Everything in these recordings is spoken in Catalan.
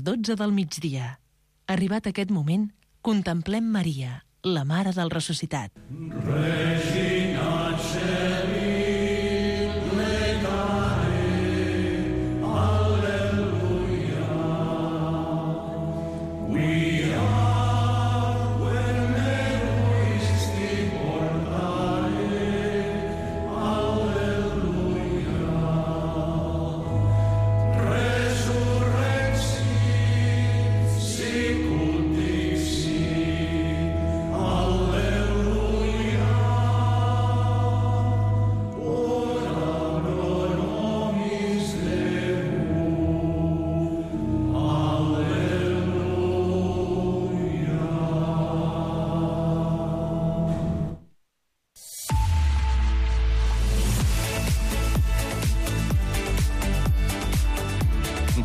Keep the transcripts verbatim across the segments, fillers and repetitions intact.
les dotze del migdia. Arribat aquest moment, contemplem Maria, la Mare del Ressuscitat. Regina Celi,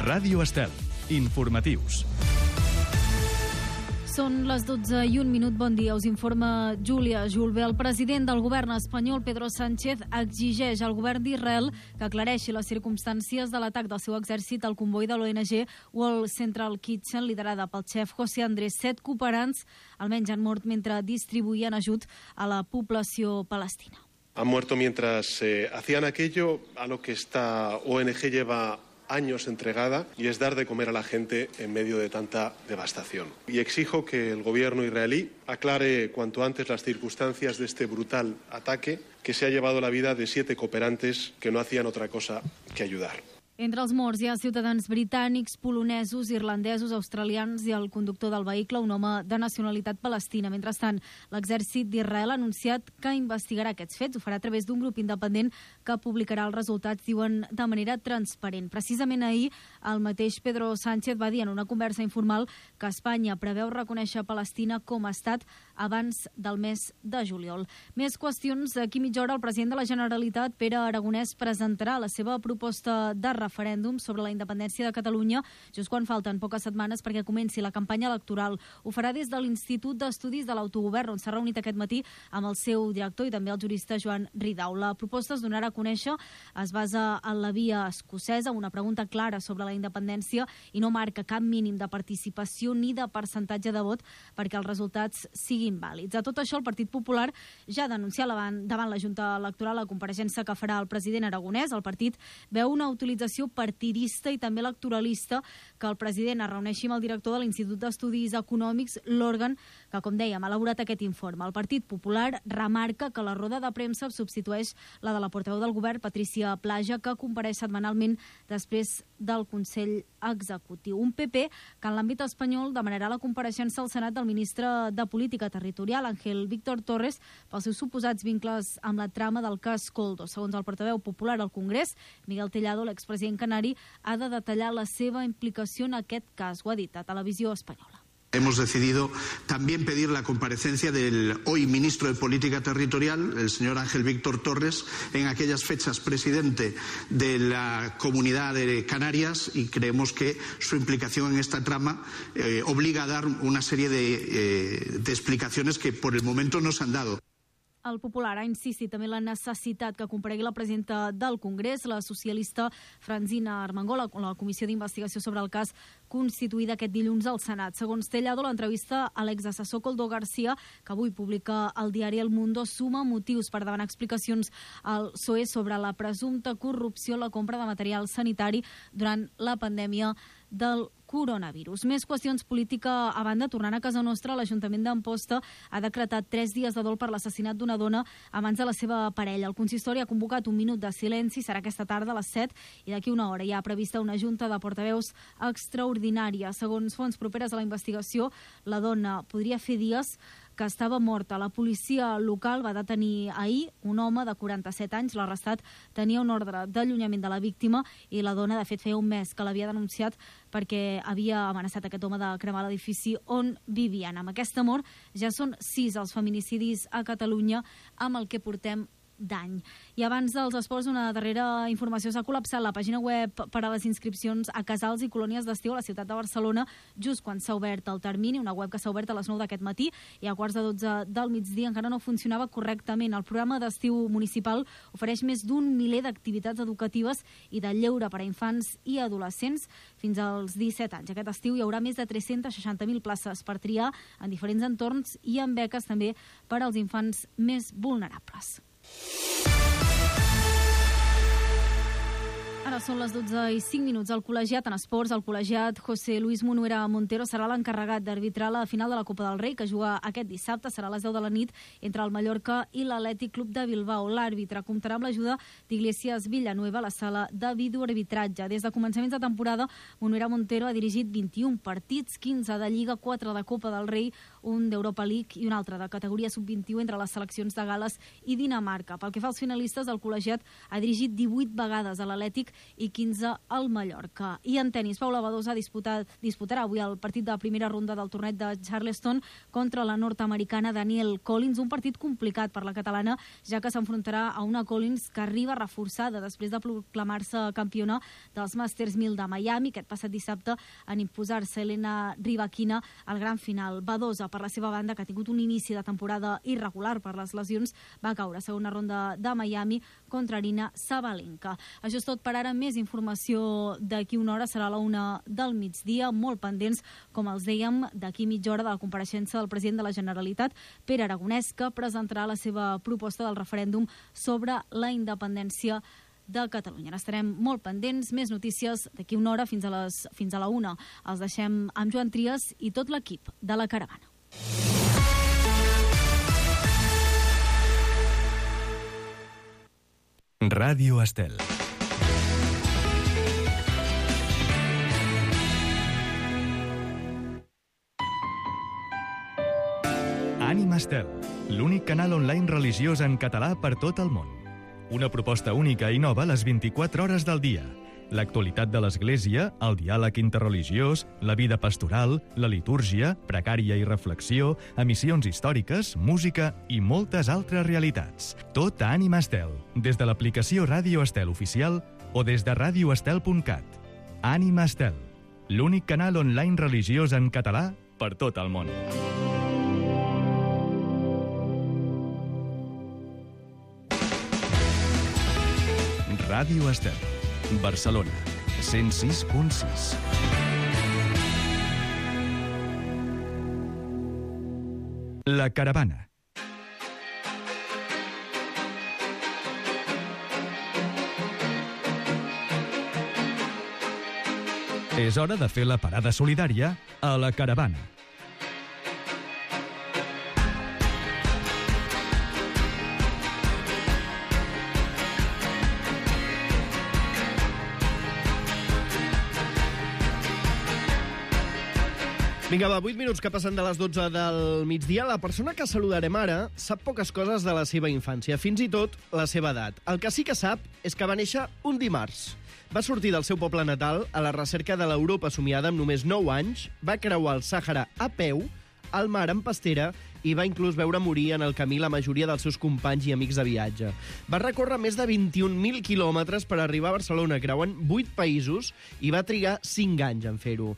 Ràdio Estel. Informatius. Són les dotze i un minut. Bon dia. Us informa Júlia Julve. El president del govern espanyol, Pedro Sánchez, exigeix al govern d'Israel que aclareixi les circumstàncies de l'atac del seu exèrcit al comboi de l'O N G World Central Kitchen, liderada pel xef José Andrés. Set cooperants almenys han mort mentre distribuïen ajut a la població palestina. Han muerto mientras eh, hacían aquello a lo que esta O N G lleva años entregada, y es dar de comer a la gente en medio de tanta devastación. Y exijo que el gobierno israelí aclare cuanto antes las circunstancias de este brutal ataque que se ha llevado la vida de siete cooperantes que no hacían otra cosa que ayudar. Entre els morts hi ha ciutadans britànics, polonesos, irlandesos, australians i el conductor del vehicle, un home de nacionalitat palestina. Mentrestant, l'exèrcit d'Israel ha anunciat que investigarà aquests fets. Ho farà a través d'un grup independent que publicarà els resultats, diuen, de manera transparent. Precisament ahir, el mateix Pedro Sánchez va dir en una conversa informal que Espanya preveu reconèixer Palestina com a estat abans del mes de juliol. Més qüestions. D'aquí mitja hora, el president de la Generalitat, Pere Aragonès, presentarà la seva proposta de referèndum sobre la independència de Catalunya, just quan falten poques setmanes perquè comenci la campanya electoral. Ho farà des de l'Institut d'Estudis de l'Autogovern, on s'ha reunit aquest matí amb el seu director i també el jurista Joan Ridao. La proposta es donarà a conèixer, es basa en la via escocesa, una pregunta clara sobre la independència i no marca cap mínim de participació ni de percentatge de vot perquè els resultats siguin vàlids. A tot això, el Partit Popular ja ha denunciat davant la Junta Electoral la compareixença que farà el president Aragonès. El partit veu una utilització partidista i també electoralista que el president es reuneixi amb el director de l'Institut d'Estudis Econòmics, l'òrgan que, com dèiem, ha elaborat aquest informe. El Partit Popular remarca que la roda de premsa substitueix la de la portaveu del govern, Patricia Plaja, que compareix setmanalment després del Consell Executiu. Un P P que en l'àmbit espanyol demanarà la compareixença al Senat del ministre de Política Territorial, Ángel Víctor Torres, pels seus suposats vincles amb la trama del cas Koldo. Segons el portaveu popular al Congrés, Miguel Tellado, l'expresident canari, ha de detallar la seva implicació en aquest cas. Ho ha dit a Televisió Espanyola. Hemos decidido también pedir la comparecencia del hoy ministro de Política Territorial, el señor Ángel Víctor Torres, en aquellas fechas presidente de la Comunidad de Canarias, y creemos que su implicación en esta trama eh, obliga a dar una serie de, eh, de explicaciones que por el momento no se han dado. El Popular ha insistit també en la necessitat que comparegui la presidenta del Congrés, la socialista Francina Armengol, a la comissió d'investigació sobre el cas constituïda aquest dilluns al Senat. Segons Tellado, l'entrevista a l'exassessor Koldo García, que avui publica el diari El Mundo, suma motius per demanar explicacions al P S O E sobre la presumpta corrupció en la compra de material sanitari durant la pandèmia del coronavirus. Més qüestions política a banda. Tornant a casa nostra, l'Ajuntament d'Amposta ha decretat tres dies de dol per l'assassinat d'una dona a mans de la seva parella. El consistori ha convocat un minut de silenci, serà aquesta tarda a les set, i d'aquí una hora hi ha prevista una junta de portaveus extraordinària. Segons fonts properes a la investigació, la dona podria fer dies que estava morta. La policia local va detenir ahir un home de quaranta-set anys. L'arrestat tenia un ordre d'allunyament de la víctima i la dona, de fet, feia un mes que l'havia denunciat perquè havia amenaçat aquest home de cremar l'edifici on vivien. Amb aquesta mort ja són sis els feminicidis a Catalunya amb el que portem d'any. I abans dels esports, una darrera informació. S'ha col·lapsat la pàgina web per a les inscripcions a casals i colònies d'estiu a la ciutat de Barcelona just quan s'ha obert el termini, una web que s'ha obert a les nou d'aquest matí i a quarts de dotze del migdia encara no funcionava correctament. El programa d'estiu municipal ofereix més d'un miler d'activitats educatives i de lleure per a infants i adolescents fins als disset anys. Aquest estiu hi haurà més de tres-centes seixanta mil places per triar en diferents entorns i amb beques també per als infants més vulnerables. Ara són les dotze i cinc minuts. El col·legiat en esports, el col·legiat José Luis Munuera Montero serà l'encarregat d'arbitrar la final de la Copa del Rei, que juga aquest dissabte, serà a les deu de la nit, entre el Mallorca i l'Atlètic Club de Bilbao. L'àrbitre comptarà amb l'ajuda d'Iglesias Villanueva a la sala de videoarbitratge. Des de començaments de temporada, Munuera Montero ha dirigit vint-i-un partits, quinze de Lliga, quatre de Copa del Rei, un d'Europa League i un altre de categoria sub vint-i-u entre les seleccions de Gal·les i Dinamarca. Pel que fa als finalistes, el col·legiat ha dirigit divuit vegades a l'Atlètic i quinze al Mallorca. I en tenis, Paula Badosa disputat, disputarà avui el partit de la primera ronda del torneig de Charleston contra la nord-americana Danielle Collins, un partit complicat per la catalana, ja que s'enfrontarà a una Collins que arriba reforçada després de proclamar-se campiona dels Masters mil de Miami, aquest passat dissabte en imposar-se Elena Rybakina al gran final. Badosa, per la seva banda, que ha tingut un inici de temporada irregular per les lesions, va caure a segona ronda de Miami contra Arina Sabalenka. Això és tot per ara. Més informació d'aquí una hora, serà a la una del migdia, molt pendents, com els dèiem, d'aquí mitja hora de la compareixença del president de la Generalitat, Pere Aragonès, que presentarà la seva proposta del referèndum sobre la independència de Catalunya. N'estarem molt pendents, més notícies d'aquí una hora fins a, les, fins a la una. Els deixem amb Joan Trias i tot l'equip de La Caravana. Ràdio Estel. Ànima Estel, l'únic canal online religiós en català per tot el món. Una proposta única i nova a les vint-i-quatre hores del dia. L'actualitat de l'Església, el diàleg interreligiós, la vida pastoral, la litúrgia, precària i reflexió, emissions històriques, música i moltes altres realitats. Tot a Ànima Estel, des de l'aplicació Ràdio Estel oficial o des de radio estel punt cat. Ànima Estel, l'únic canal online religiós en català per tot el món. Ràdio Estel, Barcelona, cent sis punt sis. La Caravana. És hora de fer la parada solidària a La Caravana. Vinga, va, vuit minuts que passen de les dotze del migdia. La persona que saludarem ara sap poques coses de la seva infància, fins i tot la seva edat. El que sí que sap és que va néixer un dimarts. Va sortir del seu poble natal a la recerca de l'Europa somiada amb només nou anys, va creuar el Sàhara a peu, al mar en pastera i va inclús veure morir en el camí la majoria dels seus companys i amics de viatge. Va recórrer més de vint-i-un mil quilòmetres per arribar a Barcelona, creuant vuit països, i va trigar cinc anys en fer-ho.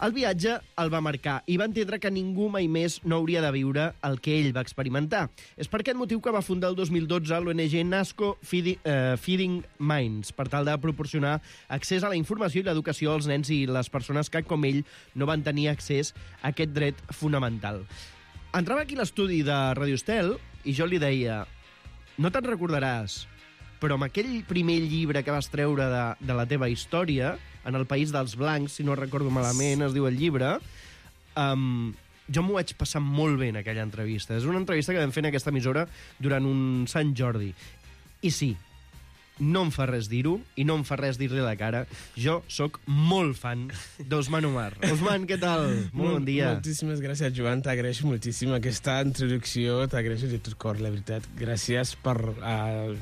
El viatge el va marcar i va entendre que ningú mai més no hauria de viure el que ell va experimentar. És per aquest motiu que va fundar el dos mil dotze l'O N G Nasco Feeding, uh, Feeding Minds, per tal de proporcionar accés a la informació i l'educació als nens i les persones que, com ell, no van tenir accés a aquest dret fonamental. Entrava aquí a l'estudi de Radio Estel i jo li deia: no te'n recordaràs, però amb aquell primer llibre que vas treure de, de la teva història, En el País dels Blancs, si no recordo malament, es diu el llibre, um, jo m'ho vaig passar molt bé en aquella entrevista. És una entrevista que vam fer en aquesta emissora durant un Sant Jordi. I sí, no em fa res dir-ho i no em fa res dir-li a la cara. Jo sóc molt fan d'Osman Omar. Osman, què tal? Molt bon dia. Moltíssimes gràcies, Joan. T'agraeixo moltíssim aquesta introducció. T'agraeixo de tot cor, la veritat. Gràcies per uh,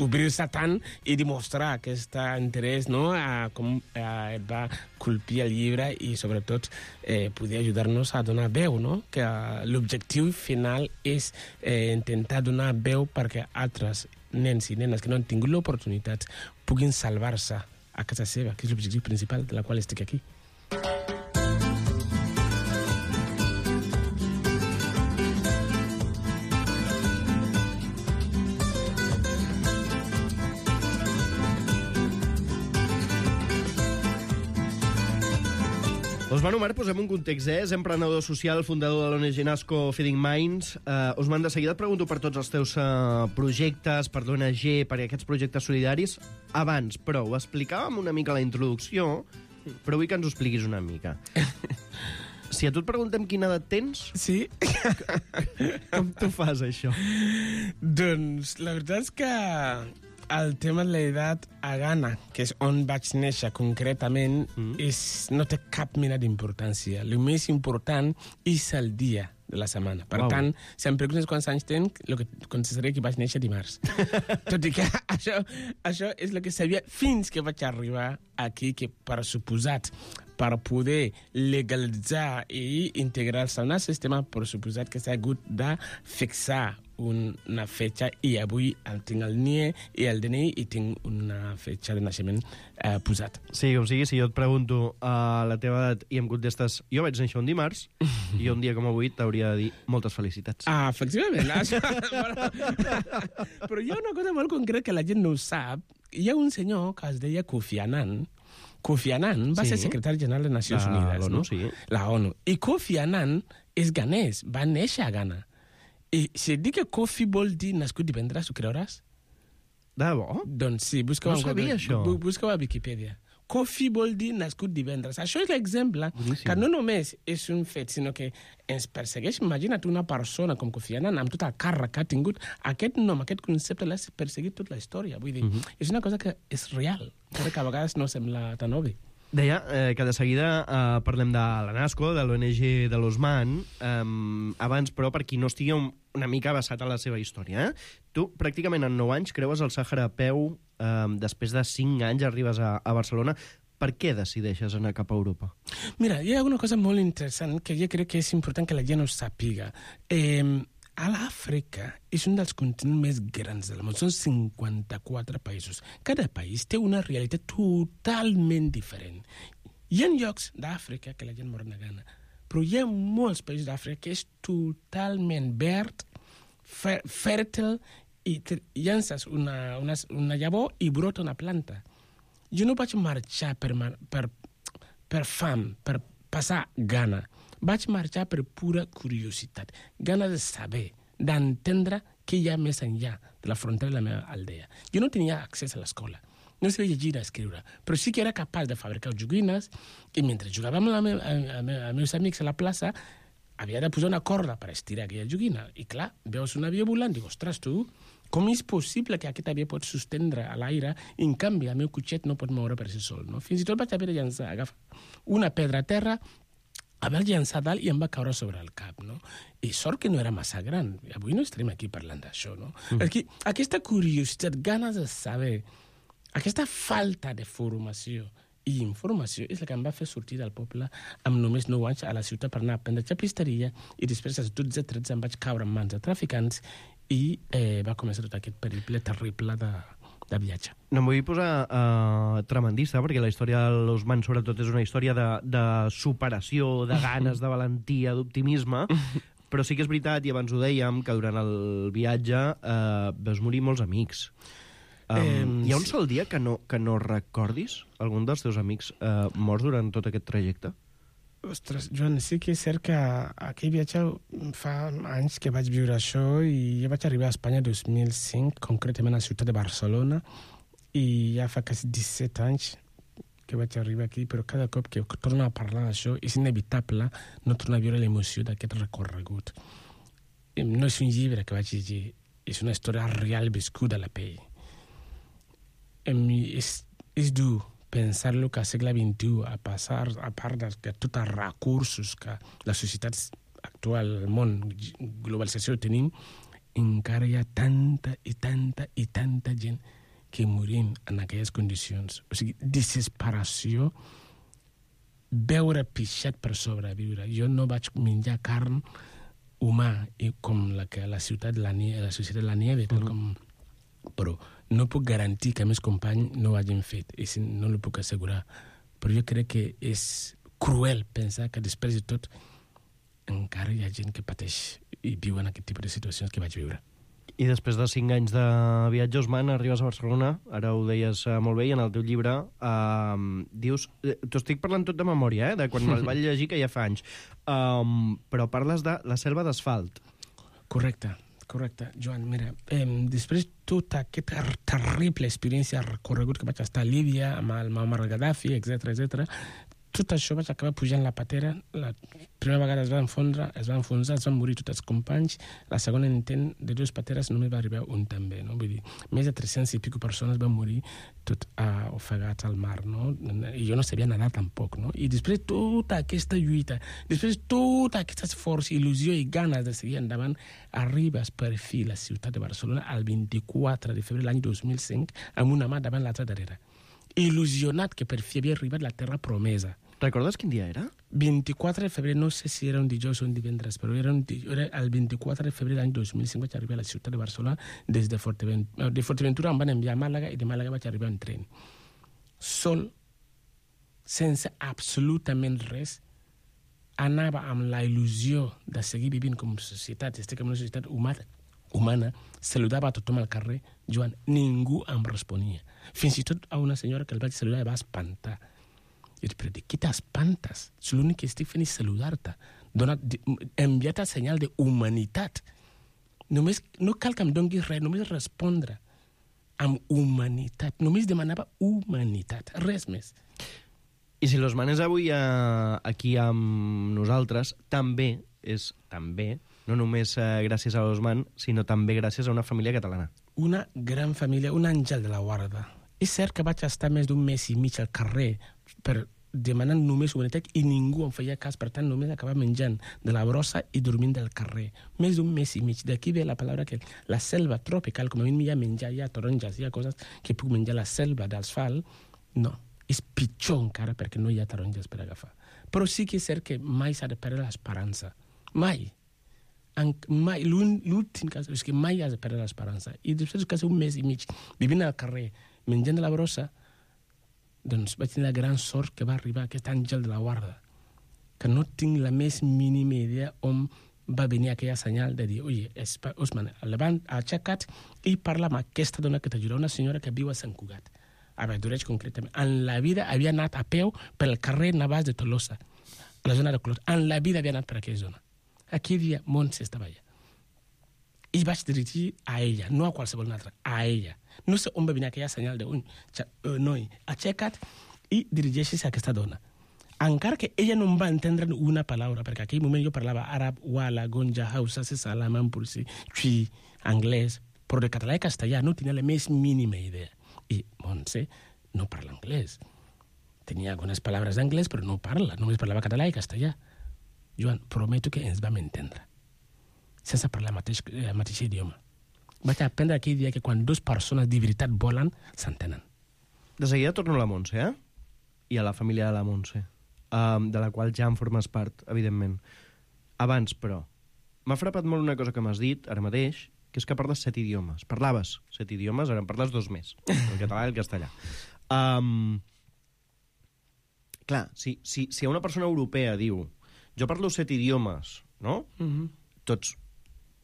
obrir-se tant i demostrar aquest interès, no?, a com uh, et va colpir el llibre i, sobretot, eh, poder ajudar-nos a donar veu, no? Que uh, l'objectiu final és eh, intentar donar veu perquè altres nens i nenes que no han tingut l'oportunitat puguin salvar-se a casa seva, que és l'objectiu principal de la qual estic aquí. Osman Omar, posem un context, eh? És emprenedor social, fundador de l'O N G Nasco Feeding Minds. Uh, Osman, de seguida et pregunto per tots els teus uh, projectes, per l'O N G, per aquests projectes solidaris. Abans, però, ho explicàvem una mica a la introducció, però vull que ens ho expliquis una mica. Si a tu et preguntem quina edat tens... Sí? Com tu fas, això? Doncs la veritat és que el tema de l'edat a Ghana, que és on vaig néixer concretament, mm. és, no té cap mena d'importància. El més important és el dia de la setmana. Per wow. tant, si em preguntes quants anys tenc, el que contestaré que vaig néixer dimarts. Tot i que això, això és el que sabia fins que vaig arribar aquí, que per suposat, per poder legalitzar i integrar-se en el sistema, per suposat que s'ha hagut de fixar una fetge, i avui tinc el N I E i el D N I i tinc una fetge de naixement eh, posat. Sí, com sigui, si jo et pregunto uh, la teva edat i em contestes jo vaig néixer un dimarts, i un dia com avui t'hauria de dir moltes felicitats. Ah, efectivament. Però hi ha una cosa molt concreta que la gent no ho sap. Hi ha un senyor que es deia Kofi Annan. Kofi Annan va sí. ser secretari general de Nacions la, Unides. L'ONU, no? sí. La ONU. I Kofi Annan és ganès, va néixer a Ghana. I si et dic que Kofi vol dir nascut divendres, ho creuràs? De bo? Doncs sí, busca-ho no sabia, això. Busca-ho a Wikipedia. Kofi vol dir nascut divendres. Això és l'exemple Boníssim. Que no només és un fet, sinó que ens persegueix. Imagina't una persona com Kofi Annan, amb tot el càrrec que ha tingut. Aquest nom, aquest concepte l'ha perseguit tota la història. Vull dir, uh-huh. és una cosa que és real, que a vegades no sembla tan obvi. Deia eh, que de seguida eh, parlem de la Nasco, de l'O N G de l'Osman, eh, abans, però, per qui no estigui un, una mica basat a la seva història. Eh? Tu, pràcticament en nou anys, creues el Sàhara a peu, eh, després de cinc anys arribes a, a Barcelona. Per què decideixes anar cap a Europa? Mira, hi ha una cosa molt interessant que jo crec que és important que la gent ho sàpiga. Eh, a l'Àfrica és un dels continents més grans del món. Són cinquanta-quatre països. Cada país té una realitat totalment diferent. Hi ha llocs d'Àfrica que la gent mor negant, però hi ha molts països d'Àfrica que és totalment verd, fer, fèrtil, i llances una, una, una llavor i brota una planta. Jo no vaig marxar per, per, per fam, per passar gana. Vaig marxar per pura curiositat, ganes de saber, d'entendre què hi ha més enllà de la frontera de la meva aldea. Jo no tenia accés a l'escola, no sabia llegir i escriure, però sí que era capaç de fabricar joguines, i mentre jugàvem amb, la me amb, amb, amb meus amics a la plaça, havia de posar una corda per estirar aquella joguina. I clar, veus un avió volant, dic, ostres, tu, com és possible que aquest avió pot sostendre a l'aire i, en canvi, el meu cotxet no pot moure per si sol, no? Fins i tot vaig haver de llançar, agafar una pedra a terra, haver llançat dalt i em va caure sobre el cap, no? I sort que no era massa gran. Avui no estarem aquí parlant d'això, no? Mm. Aquí, aquesta curiositat, ganes de saber, aquesta falta de formació i informació és la que em va fer sortir del poble amb només nou anys a la ciutat per anar a aprendre xapisteria, i després als dotze tretze em vaig caure en mans de traficants i eh, va començar tot aquest periple terrible de, de viatge. No em vull posar uh, tremendista, perquè la història de l'Osman sobretot és una història de, de superació, de ganes, de valentia, d'optimisme, però sí que és veritat, i abans ho dèiem, que durant el viatge uh, veus morir molts amics. Um, eh, hi ha un sol dia que no, que no recordis algun dels teus amics uh, morts durant tot aquest trajecte? Ostres, Joan, sí que és cert que aquell viatge fa anys que vaig viure això, i jo vaig arribar a Espanya el dos mil cinc, concretament a la ciutat de Barcelona, i ja fa quasi disset anys que vaig arribar aquí, però cada cop que torno a parlar d'això és inevitable no tornar a viure l'emoció d'aquest recorregut. No és un llibre que vaig llegir, és una història real viscuda a la pell. És, és dur pensar-lo que al segle vint-i-u, a, passar, a part de, de tots els recursos que la societat actual, el món, globalització tenim, encara hi ha tanta i tanta i tanta gent que morim en aquelles condicions. O sigui, desesperació, veure pixat per sobreviure. Jo no vaig menjar carn humà, i com la que la ciutat, la, la societat la nieve, tal com Però no puc garantir que meus companys no ho hagin fet, i no ho puc assegurar. Però jo crec que és cruel pensar que després de tot encara hi ha gent que pateix i viu en aquest tipus de situacions que vaig viure. I després de cinc anys de viatge, Osman, arribes a Barcelona, ara ho deies molt bé, i en el teu llibre eh, dius... T'ho estic parlant tot de memòria, eh, de quan me'l vaig llegir, que ja fa anys. Um, però parles de la selva d'asfalt. Correcte, correcte. Joan, mira, eh, després tota aquesta terrible experiència recorregut que vaig estar a Líbia, amb el Muammar Gaddafi, etcètera, etcètera, tot això vaig acabar pujant la patera. La primera vegada es va enfondre, es va enfonsar, es van morir tots els companys. La segona intent de dues pateres només va arribar un també, no? Vull dir, més de tres-cents i pico persones van morir tot uh, ofegats al mar, no? I jo no sabia nedar tampoc, no? I després tota aquesta lluita, després tot aquest esforç, il·lusió i ganes de seguir endavant, arribes per fi a la ciutat de Barcelona el vint-i-quatre de febrer l'any dos mil cinc amb una mà davant l'altra darrere. Il·lusionat que per fi havia arribat la terra promesa. Recordes quin dia era? vint-i-quatre de febrer, no sé si era un dijous o un divendres, però era, un, era el vint-i-quatre de febrer l'any dos mil cinc vaig arribar a la ciutat de Barcelona des de Forteventura. De Forteventura em van enviar a Màlaga i de Màlaga vaig arribar en tren. Sol, sense absolutament res, anava amb la il·lusió de seguir vivint com societat, estic en una societat humana, humana, saludava a tothom al carrer. Joan, ningú em responia. Fins i tot a una senyora que el vaig saludar i va espantar. I dic, però de què t'espantes? L'únic que estic fent és saludar-te. Enviar-te el senyal d'humanitat. Només, no cal que em donguis res, només respondre amb humanitat. Només demanava humanitat, res més. I si l'Osman és avui a, aquí amb nosaltres, també és, també, no només eh, gràcies a l'Osman, sinó també gràcies a una família catalana. Una gran família, un àngel de la guarda. És cert que vaig estar més d'un mes i mig al carrer per demanant només humanitat i ningú em feia cas, per tant només acabava menjant de la brossa i dormint del carrer. Més d'un mes i mig. D'aquí ve la paraula que la selva tropical, com a mi hi ha menjar, hi ha taronges, hi ha coses que puc menjar. La selva d'asfalt, no. És pitjor encara perquè no hi ha taronges per agafar. Però sí que és cert que mai s'ha de perdre l'esperança. Mai. En, mai. L'últim cas és que mai has de perdre l'esperança. I després que un mes i mig vivint al carrer, menjant de la brossa, doncs vaig tenir la gran sort que va arribar aquest àngel de la guarda, que no tinc la més mínima idea on va venir aquella senyal de dir, oi, Osman, levant, aixeca't i parla amb aquesta dona que t'ajuda, una senyora que viu a Sant Cugat, a Valldoreix concretament. En la vida havia anat a peu pel carrer Navàs de Tolosa, a la zona de Colors. En la vida havia anat per aquella zona. Aquell dia Montse estava allà. I vaig dirigir a ella, no a qualsevol altra, a ella. No sé on va venir aquella senyal d'un uh, noi, aixeca't i dirigeixis a aquesta dona. Encara que ella no em va entendre una paraula, perquè en aquell moment jo parlava àrab, wala, gonja, hausa, sesala, mampursi, xui, anglès, però de català i castellà no tenia la més mínima idea. I Montse no parla anglès. Tenia algunes paraules d'anglès, però no parla, només parlava català i castellà. Joan, prometo que ens vam entendre, sense parlar el mateix, el mateix idioma. Vaig aprendre aquell dia que quan dues persones de veritat volen, s'entenen. De seguida torno a la Montse, eh? I a la família de la Montse, um, de la qual ja en formes part, evidentment. Abans, però, m'ha frapat molt una cosa que m'has dit ara mateix, que és que parles set idiomes. Parlaves set idiomes, ara en parles dos més, el català i el castellà. Um, clar, si, si, si una persona europea diu jo parlo set idiomes, no? Mm-hmm. Tots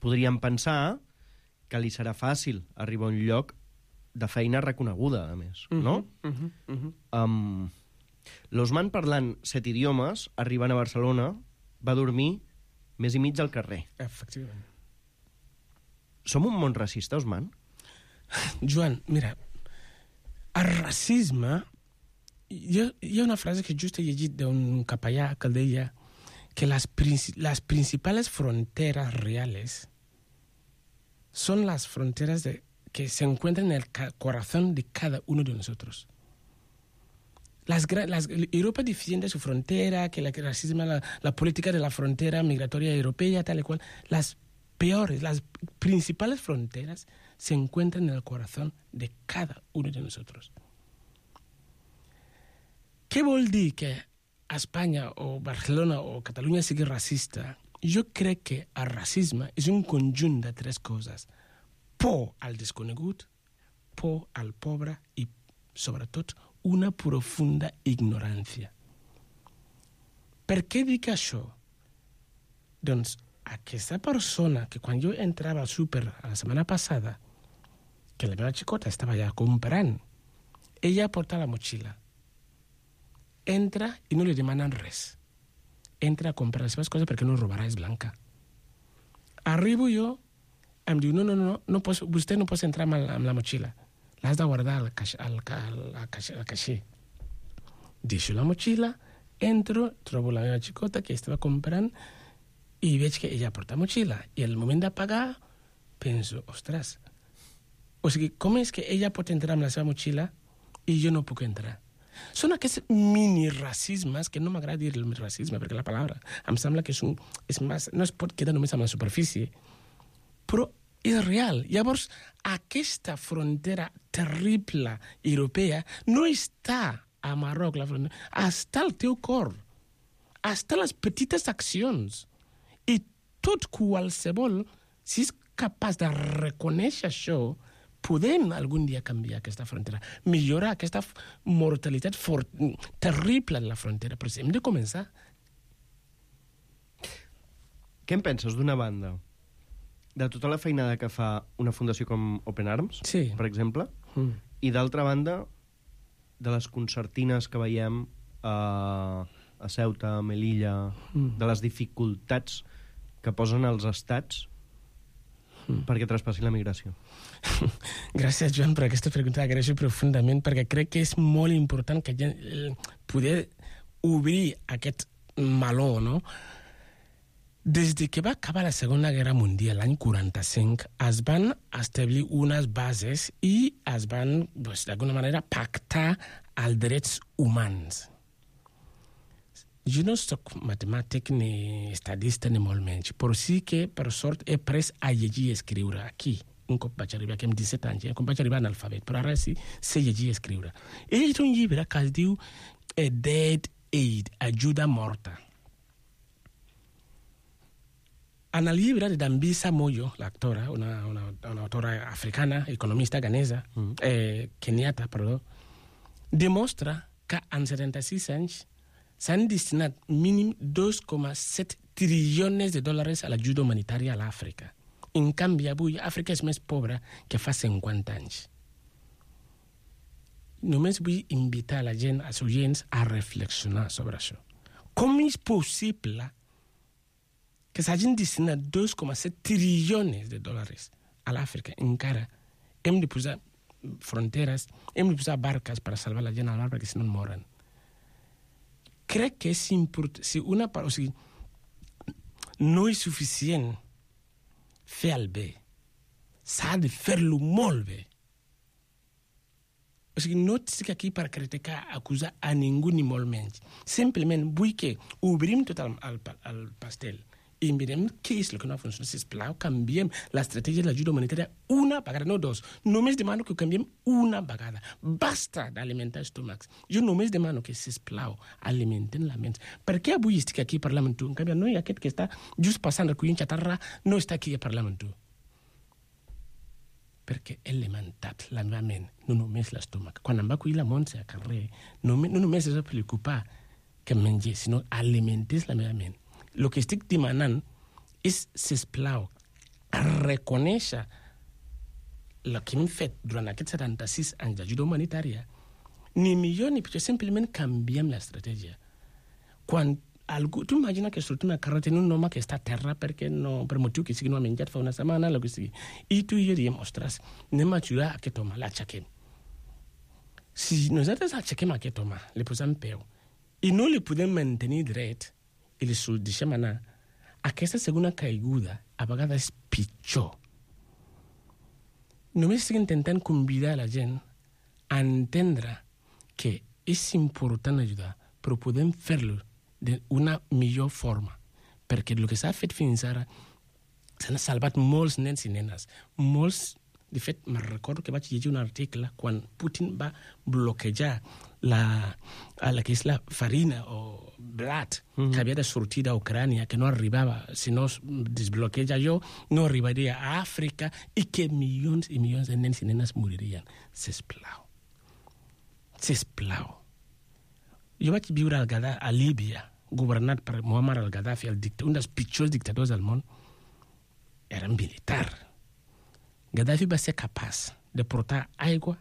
podríem pensar que li serà fàcil arribar a un lloc de feina reconeguda, a més, no? Mm-hmm. Mm-hmm. Um, L'Osman, parlant set idiomes, arribant a Barcelona, va dormir més i mig al carrer. Efectivament. Som un món racista, Osman? Joan, mira, el racisme... Hi ha, hi ha una frase que just he llegit d'un capellà que deia que las, princi las principales fronteras reales son las fronteras de, que se encuentran en el corazón de cada uno de nosotros. Las, las, Europa defiende su frontera, que el racismo, la, la política de la frontera migratoria europea, tal y cual. Las peores, las principales fronteras se encuentran en el corazón de cada uno de nosotros. Què vol dir que Espanya o Barcelona o Catalunya sigui racista? Jo crec que el racisme és un conjunt de tres coses. Por al desconegut, por al pobre i, sobretot, una profunda ignorància. Per què dic això? Doncs aquesta persona que quan jo entrava al súper la setmana passada, que la meva xicota estava allà comprant, ella porta la motxilla. Entra i no li demanen res. Entra a comprar les seves coses perquè no robarà, és blanca. Arribo jo, em diu, no, no, no, no pots, vostè no pot entrar amb la, amb la motxilla. L'has de guardar al, caix, al, al, al, al caixer. Deixo la motxilla, entro, trobo la meva xicota que estava comprant i veig que ella porta motxilla. I al moment de pagar, penso, ostres, o sigui, com és que ella pot entrar amb la seva motxilla i jo no puc entrar? Són aquests mini-racismes, que no m'agrada dir el racisme, perquè la paraula em sembla que és un, és més, no es pot quedar només amb la superfície, però és real. Llavors, aquesta frontera terrible europea no està a Marroc, la frontera, està al teu cor, està les petites accions. I tot qualsevol, si és capaç de reconèixer això, podem algun dia canviar aquesta frontera, millorar aquesta mortalitat for- terrible de la frontera, però hem de començar. Què en penses, d'una banda, de tota la feinada que fa una fundació com Open Arms, sí. per exemple, mm. i d'altra banda, de les concertines que veiem a, a Ceuta, a Melilla, mm. de les dificultats que posen els estats mm. perquè traspassi la migració? Gràcies, Joan, per aquesta pregunta. Agraeixo profundament, perquè crec que és molt important que poder obrir aquest meló, no? Des de que va acabar la Segona Guerra Mundial, l'any quaranta-cinc, es van establir unes bases i es van, doncs, d'alguna manera, pactar els drets humans. Jo no soc matemàtic ni estadista ni molt menys, però sí que, per sort, he après a llegir i escriure aquí. Un cop vaig arribar aquí amb disset anys, eh? Com vaig arribar analfabet, però ara sí sé llegir i escriure. He llegit un llibre que es diu eh, Dead Aid, ajuda morta. En el llibre de Dambisa Moyo, l'actora, una, una, una autora africana, economista ganesa, mm. eh, keniata, perdó, demostra que en setanta-sis anys s'han destinat mínim dos coma set trilions de dòlars a l'ajuda humanitària a l'Àfrica. En canvi, avui, Àfrica és més pobra que fa cinquanta anys. Només vull invitar la gent, els oients, a reflexionar sobre això. Com és possible que s'hagin destinat dos coma set trilions de dòlars a l'Àfrica? Encara hem de posar fronteres, hem de posar barques per salvar la gent al mar perquè si no moren. Crec que és important, si una part, o sigui, no és suficient fer el bé. S'ha de fer-lo molt bé. O sigui, no estic aquí per criticar, acusar a ningú ni molt menys. Simplement vull que obrim tot el, el, el pastel i mirem què és el que no funciona. Sisplau, canviem l'estratègia de l'ajuda humanitària una vegada, no dos. Només demano que ho canviem una vegada. Basta d'alimentar estómacs. Jo només demano que, sisplau, alimenten la ment. Per què avui estic aquí parlant amb tu? En canvi, no hi ha aquest que està just passant recollint xatarra, no està aquí a parlar amb tu. Perquè he alimentat la meva ment, no només l'estómac. Quan em va acollir la Montse a carrer, no, no només es va preocupar que em mengés, sinó alimentés la meva ment. El que estic demanant és, sisplau, reconèixer el que hem fet durant aquests setanta-sis anys d'ajuda humanitària. Ni millor ni pitjor, simplement canviem l'estratègia. Quan algú, tu imagina que sortim a carrer, tenim un home que està a terra perquè no, per motiu que sigui no ha menjat fa una setmana, el que sigui. I tu i jo diem, ostres, anem a ajudar aquest home, l'aixequem. Si nosaltres aixequem aquest home, li posem peu, i no li podem mantenir dret, i li deixem anar, aquesta segona caiguda a vegades és pitjor. Només estic intentant convidar la gent a entendre que és important ajudar, però podem fer-lo d'una millor forma, perquè el que s'ha fet fins ara s'han salvat molts nens i nenes, molts De fet, me'n recordo que vaig llegir un article quan Putin va bloquejar la, la que és la farina o blat mm. que havia de sortir d'Ucrània, que no arribava, si no es desbloqueja allò, no arribaria a Àfrica i que milions i milions de nens i nenes moririen. Sisplau. Sisplau. Jo vaig viure al Gadà, a Líbia, governat per Muammar al-Gaddafi, el dict- un dels pitjors dictadors del món. Era militar. Gaddafi va ser capaç de portar aigua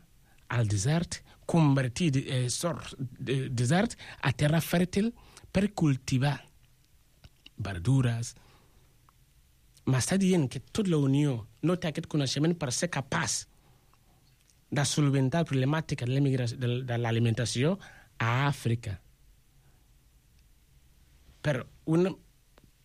al desert, convertir eh, sor, de, desert a terra fèrtil per cultivar verdures. M'està dient que tota la Unió no té aquest coneixement per ser capaç de solventar la problemàtica de, de, de l'alimentació a Àfrica. Però una,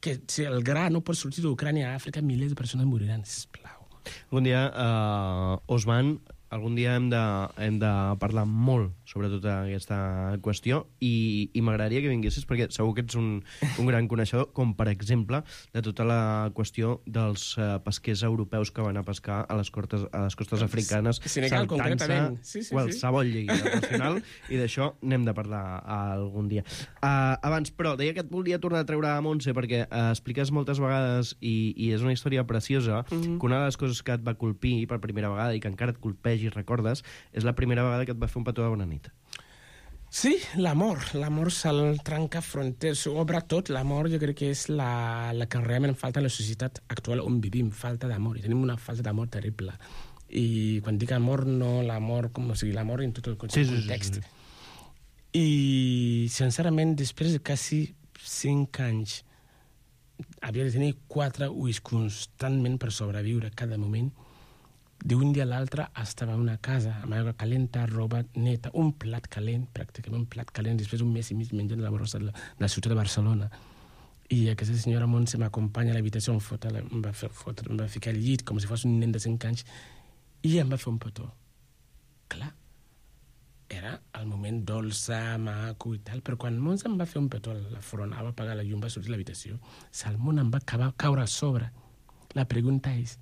que si el gra no pot sortir d'Ucrània a Àfrica, milers de persones moriran, sisplau. Algun dia, uh, Osman, algun dia hem de, hem de parlar molt sobre tota aquesta qüestió i, i m'agradaria que vinguessis perquè segur que ets un, un gran coneixedor, com per exemple de tota la qüestió dels uh, pesquers europeus que van a pescar a les, cortes, a les costes africanes, Senegal, concretament. Sí, sí, qualsevol sí. llei internacional, i d'això n'hem de parlar algun dia. Uh, abans, però, deia que et volia tornar a treure a Montse perquè uh, expliques moltes vegades i, i és una història preciosa, mm-hmm. que una de les coses que et va colpir per primera vegada i que encara et colpegi, recordes, és la primera vegada que et va fer un petó de bona nit. Sí, l'amor. L'amor se'l trenca fronteres, s'ho obre tot. L'amor jo crec que és la, la que realment falta a la societat actual on vivim, falta d'amor. I tenim una falta d'amor terrible. I quan dic amor, no l'amor, com o sigui, l'amor en tot el context. Sí, sí, sí, sí. I, sincerament, després de quasi cinc anys, havia de tenir quatre ulls constantment per sobreviure cada moment. D'un dia a l'altre estava a una casa amb aigua calenta, roba neta, un plat calent, pràcticament un plat calent, després un mes i mig menjant la brossa de la, de la ciutat de Barcelona. I aquesta senyora Montse m'acompanya a l'habitació, em, fota, em, va fer, fotre, em va ficar al llit com si fos un nen de cinc anys i em va fer un petó. Clar, era el moment dolça, maco i tal, però quan Montse em va fer un petó a la front, va apagar la llum, va sortir a l'habitació, el món em va acabar, caure a sobre. La pregunta és,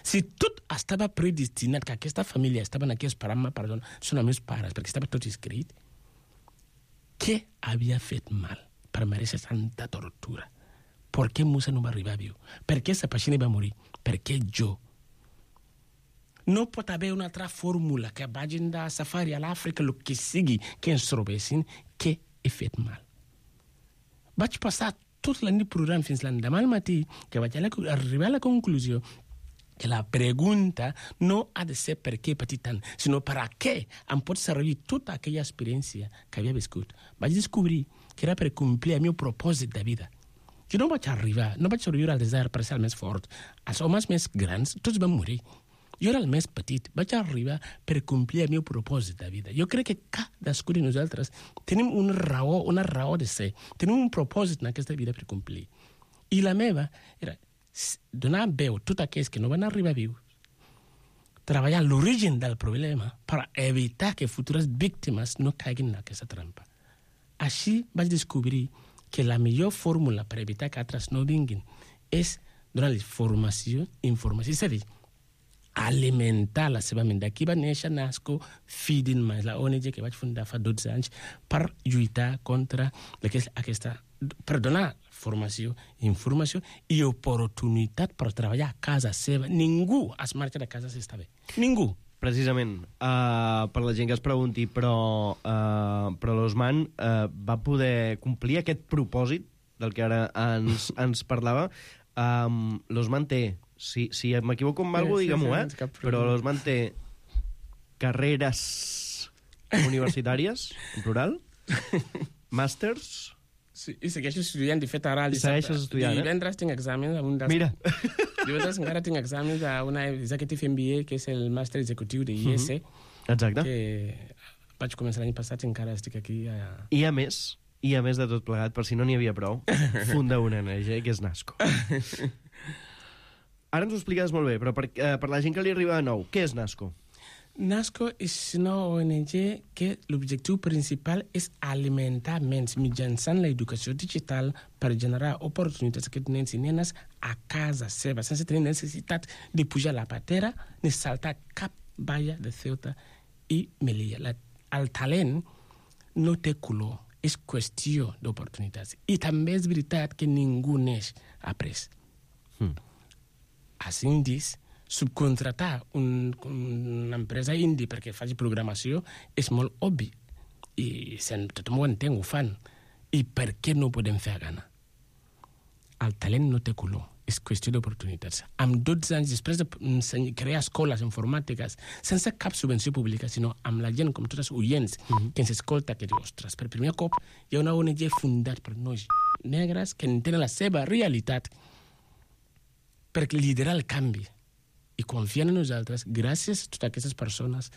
si tot estava predestinat, que aquesta família estaven aquí esperant-me, perdó, són els meus pares, perquè estava tot escrit, què havia fet mal per mereixer tanta tortura? Per què Musa no va arribar viu? Per què Sapachini va morir? Per què jo? No pot haver una altra fórmula que vagin de safari a l'Àfrica, el que sigui, que ens trobessin, què he fet mal. Vaig passar tota la nit plorant fins l'endemà al matí, que vaig arribar a la conclusió que la pregunta no ha de ser per què he patit tant, sinó per a què em pot servir tota aquella experiència que havia viscut. Vaig descobrir que era per complir el meu propòsit de vida. Jo no vaig arribar, no vaig sobreviure al desert per ser el més fort. Els homes més grans, tots van morir. Jo era el més petit, vaig arribar per complir el meu propòsit de vida. Jo crec que cadascú de nosaltres tenim una raó, una raó de ser, tenim un propòsit en aquesta vida per complir. I la meva era donar veu a tots aquells que no van arribar vius, treballar l'origen del problema per evitar que futures víctimes no caiguin en aquesta trampa. Així vaig descobrir que la millor fórmula per evitar que altres no vinguin és donar-los formació i informació, és a dir, alimentar la seva ment. D'aquí va néixer NASCO Feeding Minds, la O N G que vaig fundar fa dotze anys per lluitar contra aquesta, per donar formació, informació i oportunitat per treballar a casa seva. Ningú es marxa de casa si està bé. Ningú. Precisament, uh, per la gent que es pregunti, però, uh, però l'Osman uh, va poder complir aquest propòsit del que ara ens, ens parlava. Um, L'Osman té, si, si m'equivoco amb alguna cosa, digue-m'ho, eh? Però l'Osman té carreres universitàries, en plural, màsters. Sí, i segueixo estudiant, de fet, ara... I segueixes estudiant, eh? Divendres tinc exàmens... Des... Mira! Divendres encara tinc exàmens d'una Executive M B A, que és el màster executiu de I S. Uh-huh. Exacte. Que vaig començar l'any passat i encara estic aquí. A... I a més, i a més de tot plegat, per si no n'hi havia prou, funda una O N G, que és NASCO. Ara ens ho expliques molt bé, però per, eh, per la gent que li arriba de nou, què és NASCO? NASCO és una O N G que l'objectiu principal és alimentar nens mitjançant l'educació digital per generar oportunitats a aquests nens i nenes a casa seva, sense tenir necessitat de pujar la patera ni saltar cap valla de Ceuta i Melilla. La, el talent no té color, és qüestió d'oportunitats. I també és veritat que ningú neix après. Hmm. Als indis, subcontratar un, una empresa indi perquè faci programació és molt obvi. I tothom ho entén, ho fan. I per què no ho podem fer a Ghana? El talent no té color, és qüestió d'oportunitats. Amb dotze anys, després de crear escoles informàtiques, sense cap subvenció pública, sinó amb la gent, com tots els oients, mm-hmm. que ens escolta, que diu, ostres, per primer cop hi ha una O N G fundat per nois negres que entenen la seva realitat per liderar el canvi. I confiant en nosaltres, gràcies a totes aquestes persones,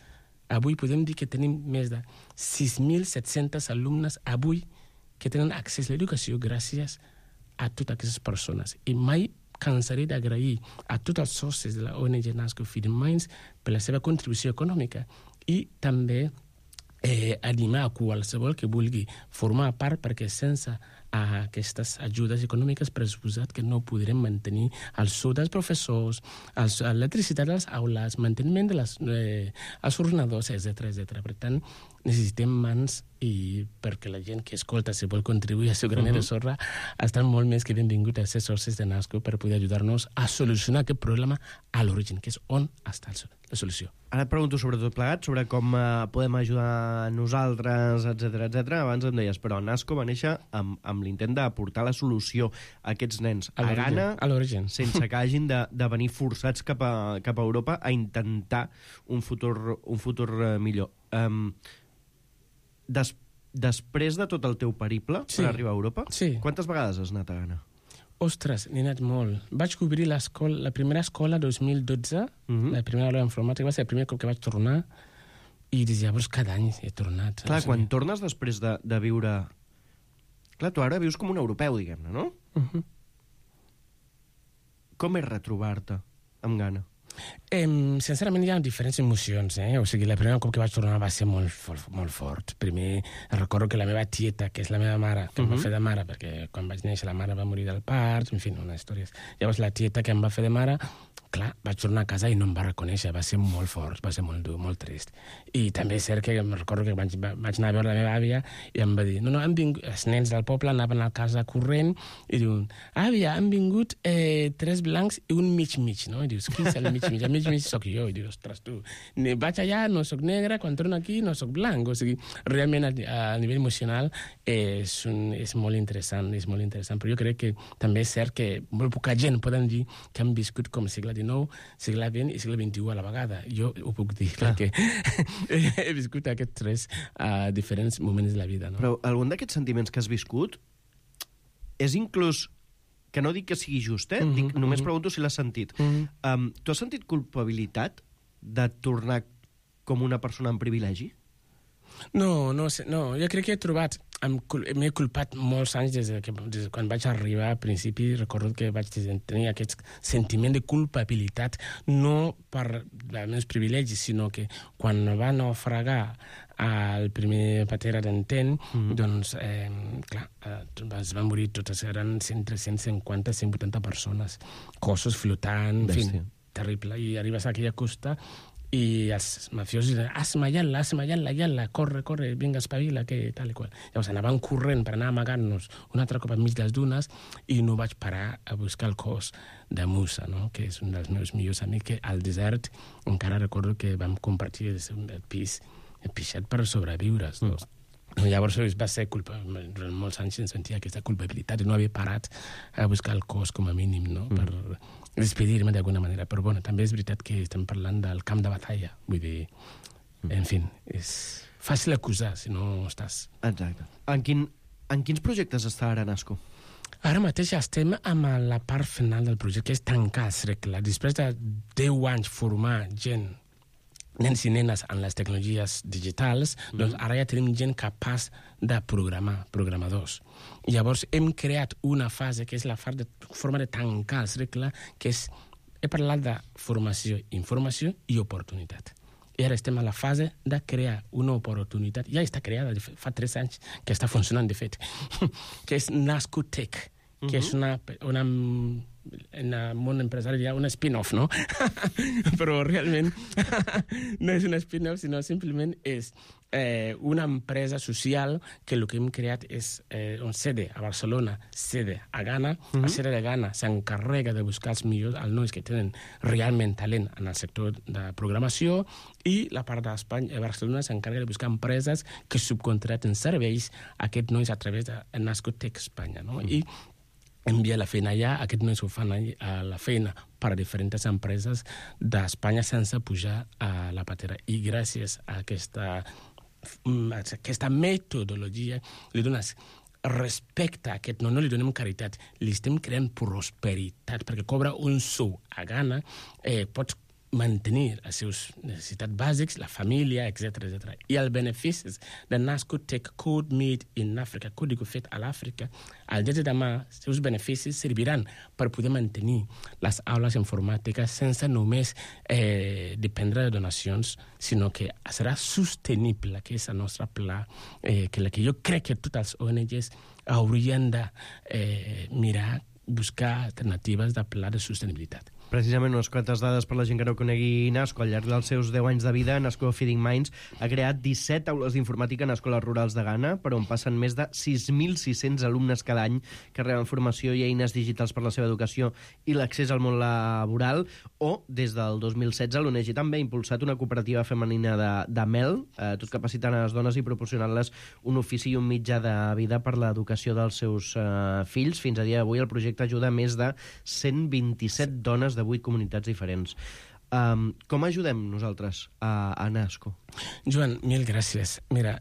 avui podem dir que tenim més de sis mil set-cents alumnes avui que tenen accés a l'educació gràcies a totes aquestes persones. I mai cansaré d'agrair a tots els socis de la O N G NASCO Feeding Minds per la seva contribució econòmica i també eh, animar a qualsevol que vulgui formar part, perquè sense a aquestes ajudes econòmiques pressuposat que no podrem mantenir el sou dels professors, l'electricitat de les aules, manteniment de les, eh, els ordenadors, etcètera, etcètera. Per tant, necessitem mans i perquè la gent que escolta, si vol contribuir al seu graner uh-huh. de sorra, estan molt més que benvinguts a ser socis de NASCO per poder ajudar-nos a solucionar aquest problema a l'origen, que és on està la solució. Ara et pregunto sobre tot plegat, sobre com uh, podem ajudar nosaltres, etcètera, etcètera. Abans em deies, però NASCO va néixer amb, amb l'intent d'aportar la solució a aquests nens a, a Ghana, a l'origen, sense que hagin de, de venir forçats cap a, cap a Europa a intentar un futur, un futur uh, millor. Um, des, després de tot el teu periple sí. per arribar a Europa, sí. quantes vegades has anat a Ghana? Ostres, n'he anat molt. Vaig cobrir la primera escola dos mil dotze, uh-huh. la primera aula d'informàtica, va ser el primer cop que vaig tornar, i des de llavors cada any he tornat. Clar, quan sé. tornes després de, de viure... Clar, tu ara vius com un europeu, diguem-ne, no? Uh-huh. Com és retrobar-te amb Ghana? Eh, sincerament hi ha diferents emocions, eh? O sigui, la primera cop que vaig tornar va ser molt, molt, molt fort. Primer, recordo que la meva tieta, que és la meva mare, que uh-huh. em va fer de mare, perquè quan vaig néixer la mare va morir del part, en fi, una història. Llavors la tieta que em va fer de mare, clar, vaig tornar a casa i no em va reconèixer, va ser molt fort, va ser molt dur, molt trist. I també és cert que em recordo que vaig, vaig anar a veure la meva àvia i em va dir, no, no, han vingut, els nens del poble anaven a casa corrent i diuen, àvia, han vingut eh, tres blancs i un mig-mig, no? I dius, qui és el mig-mig? El mig-mig soc jo. I dius, ostres, tu, vaig allà, no soc negra, quan torno aquí no soc blanc. O sigui, realment a, a nivell emocional és, un, és molt interessant, és molt interessant. Però jo crec que també és cert que molt poca gent poden dir que han viscut com segle dinou, segle vint i segle vint-i-u a la vegada. Jo ho puc dir, clar, perquè he viscut aquests tres uh, diferents moments de la vida. No? Però algun d'aquests sentiments que has viscut és inclús, que no dic que sigui just, eh? Mm-hmm, dic, només mm-hmm. pregunto si l'has sentit. Mm-hmm. Um, tu has sentit culpabilitat de tornar com una persona amb privilegi? No, no, no. Jo crec que he trobat... M'he culpat molts anys des de, que, des de quan vaig arribar al principi. Recordo que vaig tenir aquest sentiment de culpabilitat, no per els meus privilegis, sinó que quan va naufragar el primer patera d'Enten, mm. doncs, eh, clar, es van morir totes, eren cent, cent cinquanta, cent vuitanta persones, cossos flotant, en fi, terrible. I arribes a aquella costa i els mafiosos diuen, asma, yalla, asma, yalla, yalla, corre, corre, vinga, espavila, que tal i qual. Llavors anaven corrent per anar amagant-nos un altre cop enmig de les dunes i no vaig parar a buscar el cos de Musa, no? Que és un dels meus millors amics, que al desert encara recordo que vam compartir el pis, el pixat per sobreviure. Mm. Doncs. Llavors va ser culpa, durant molts anys em sentia aquesta culpabilitat i no havia parat a buscar el cos com a mínim, no? Mm. Per despedir-me d'alguna manera. Però bueno, també és veritat que estem parlant del camp de batalla. Vull dir, mm. en fi, és fàcil acusar si no estàs. Exacte. En, quin, en quins projectes està ara NASCO? Ara mateix estem amb la part final del projecte, que és tancar el cercle. Després de deu anys formar gent, nens i nenes en les tecnologies digitals, mm. doncs ara ja tenim gent capaç de programar, programadors. I llavors hem creat una fase que és la de, forma de tancar el cercle, que és, he parlat de formació, informació i oportunitat. i ara estem a la fase de crear una oportunitat, ja està creada, fa tres anys que està funcionant, de fet, que és NASCOTech, que uh-huh. és una, una, en el món empresari hi ha un spin-off, no? Però realment no és un spin-off, sinó simplement és eh, una empresa social que el que hem creat és eh, un sede a Barcelona, sede a Ghana. Uh-huh. La sede de Ghana s'encarrega de buscar els millors, els nois que tenen realment talent en el sector de programació, i la part d'Espanya, Barcelona s'encarrega de buscar empreses que subcontraten serveis a aquests nois a través de NASCOTech Espanya, no? Uh-huh. I envia la feina allà, aquests nois ho fan a la feina per a diferents empreses d'Espanya sense pujar a la patera. I gràcies a aquesta, a aquesta metodologia li dones respecte a aquest, no, no li donem caritat, li estem creant prosperitat, perquè cobra un sou a Ghana, eh, pots mantenir les seves necessitats bàsics, la família, etcètera, etcètera. I els beneficis de NASCOTech Code Made in Africa, còdigo fet a l'Àfrica, al dia de demà, els seus beneficis serviran per poder mantenir les aules informàtiques sense només eh, dependre de donacions, sinó que serà sostenible, que és el nostre pla, eh, que, la que jo crec que tots els O N Ges haurien de eh, mirar, buscar alternatives de pla de sostenibilitat. Precisament unes quantes dades per la gent que no conegui NASCO. Al llarg dels seus deu anys de vida, NASCO Feeding Minds ha creat disset aules d'informàtica en escoles rurals de Ghana, per on passen més de sis mil sis-cents alumnes cada any que reben formació i eines digitals per la seva educació i l'accés al món laboral. O, des del dos mil setze, l'O N G també ha impulsat una cooperativa femenina de, de mel, eh, tot capacitant a les dones i proporcionant-les un ofici i un mitjà de vida per l'educació dels seus eh, fills. Fins a dia d'avui el projecte ajuda a més de cent vint-i-set dones de vuit comunitats diferents. Um, com ajudem nosaltres a, a NASCO? Joan, mil gràcies. Mira,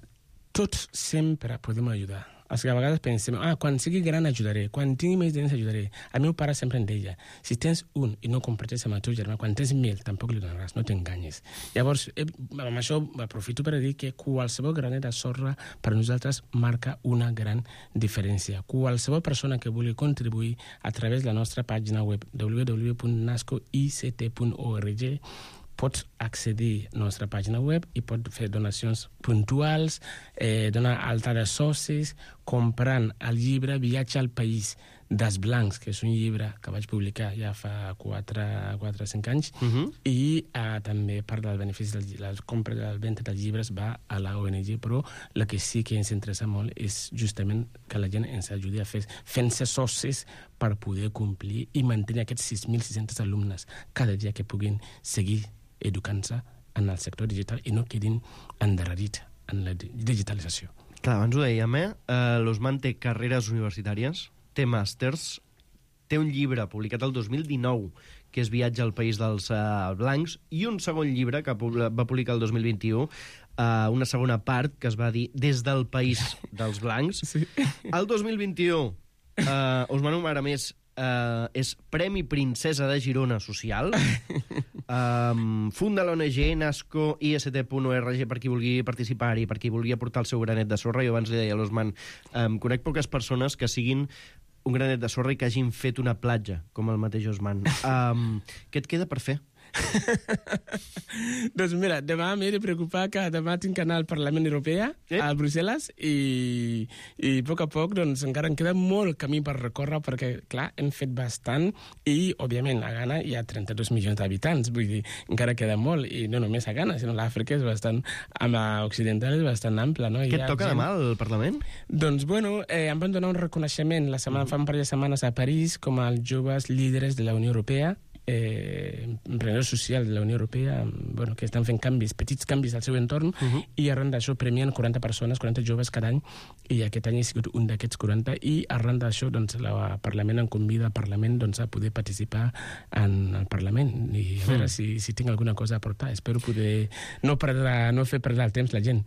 tots sempre podem ajudar. És que a vegades pensem, ah, quan sigui gran ajudaré, quan tingui més diners ajudaré. El meu pare sempre em deia, si tens un i no comparteixes amb el teu germà, quan tens mil tampoc li donaràs, no t'enganyes. Llavors, eh, amb això aprofito per dir que qualsevol granet de sorra per nosaltres marca una gran diferència. Qualsevol persona que vulgui contribuir a través de la nostra pàgina web w w w punt nasco i c t punt org pots accedir a la nostra pàgina web i pots fer donacions puntuals, eh, donar alta de socis, comprant el llibre Viatge al País dels Blancs, que és un llibre que vaig publicar ja fa quatre o cinc anys, uh-huh. i eh, també part del benefici de la compra de la venda dels llibres va a la O N G, però el que sí que ens interessa molt és justament que la gent ens ajudi a fer fent-se socis per poder complir i mantenir aquests sis mil sis-cents alumnes cada dia que puguin seguir educant-se en el sector digital i no quedin endarrerits en la digitalització. Clar, abans ho dèiem, eh? Uh, L'Osman té carreres universitàries, té màsters, té un llibre publicat el dos mil dinou, que és Viatge al País dels uh, Blancs, i un segon llibre que va publicar el dos mil vint-i-u, uh, una segona part, que es va dir Des del País dels Blancs. Sí. El dos mil vint-i-u, uh, Osman Umar, a més, Uh, és Premi Princesa de Girona Social. um, funda l'O N G nasco i s t punt org per qui vulgui participar-hi, per qui vulgui aportar el seu granet de sorra. Jo abans li deia a l'Osman, um, conec poques persones que siguin un granet de sorra i que hagin fet una platja, com el mateix Osman. Um, què et queda per fer? Doncs mira, demà m'he de preocupar que demà tinc que anar al Parlament Europeu, eh? a Brussel·les, i, i a poc a poc doncs, encara em queda molt camí per recórrer, perquè, clar, hem fet bastant, i, òbviament, a Ghana hi ha trenta-dos milions d'habitants, vull dir, encara queda molt, i no només a Ghana, sinó l'Àfrica és bastant, amb l'occidental és bastant ample, no? Què et toca demà al Parlament? Doncs, bueno, eh, em van donar un reconeixement la setmana, fa un parell de setmanes a París, com els joves líders de la Unió Europea, eh, emprenedors socials de la Unió Europea, bueno, que estan fent canvis, petits canvis al seu entorn, uh-huh. i arran d'això premien quaranta persones, quaranta joves cada any, i aquest any he sigut un d'aquests quaranta, i arran d'això doncs, el Parlament em convida al Parlament doncs, a poder participar en el Parlament, i a veure mm. si, si tinc alguna cosa a aportar. Espero poder no, perdre, no fer perdre el temps la gent.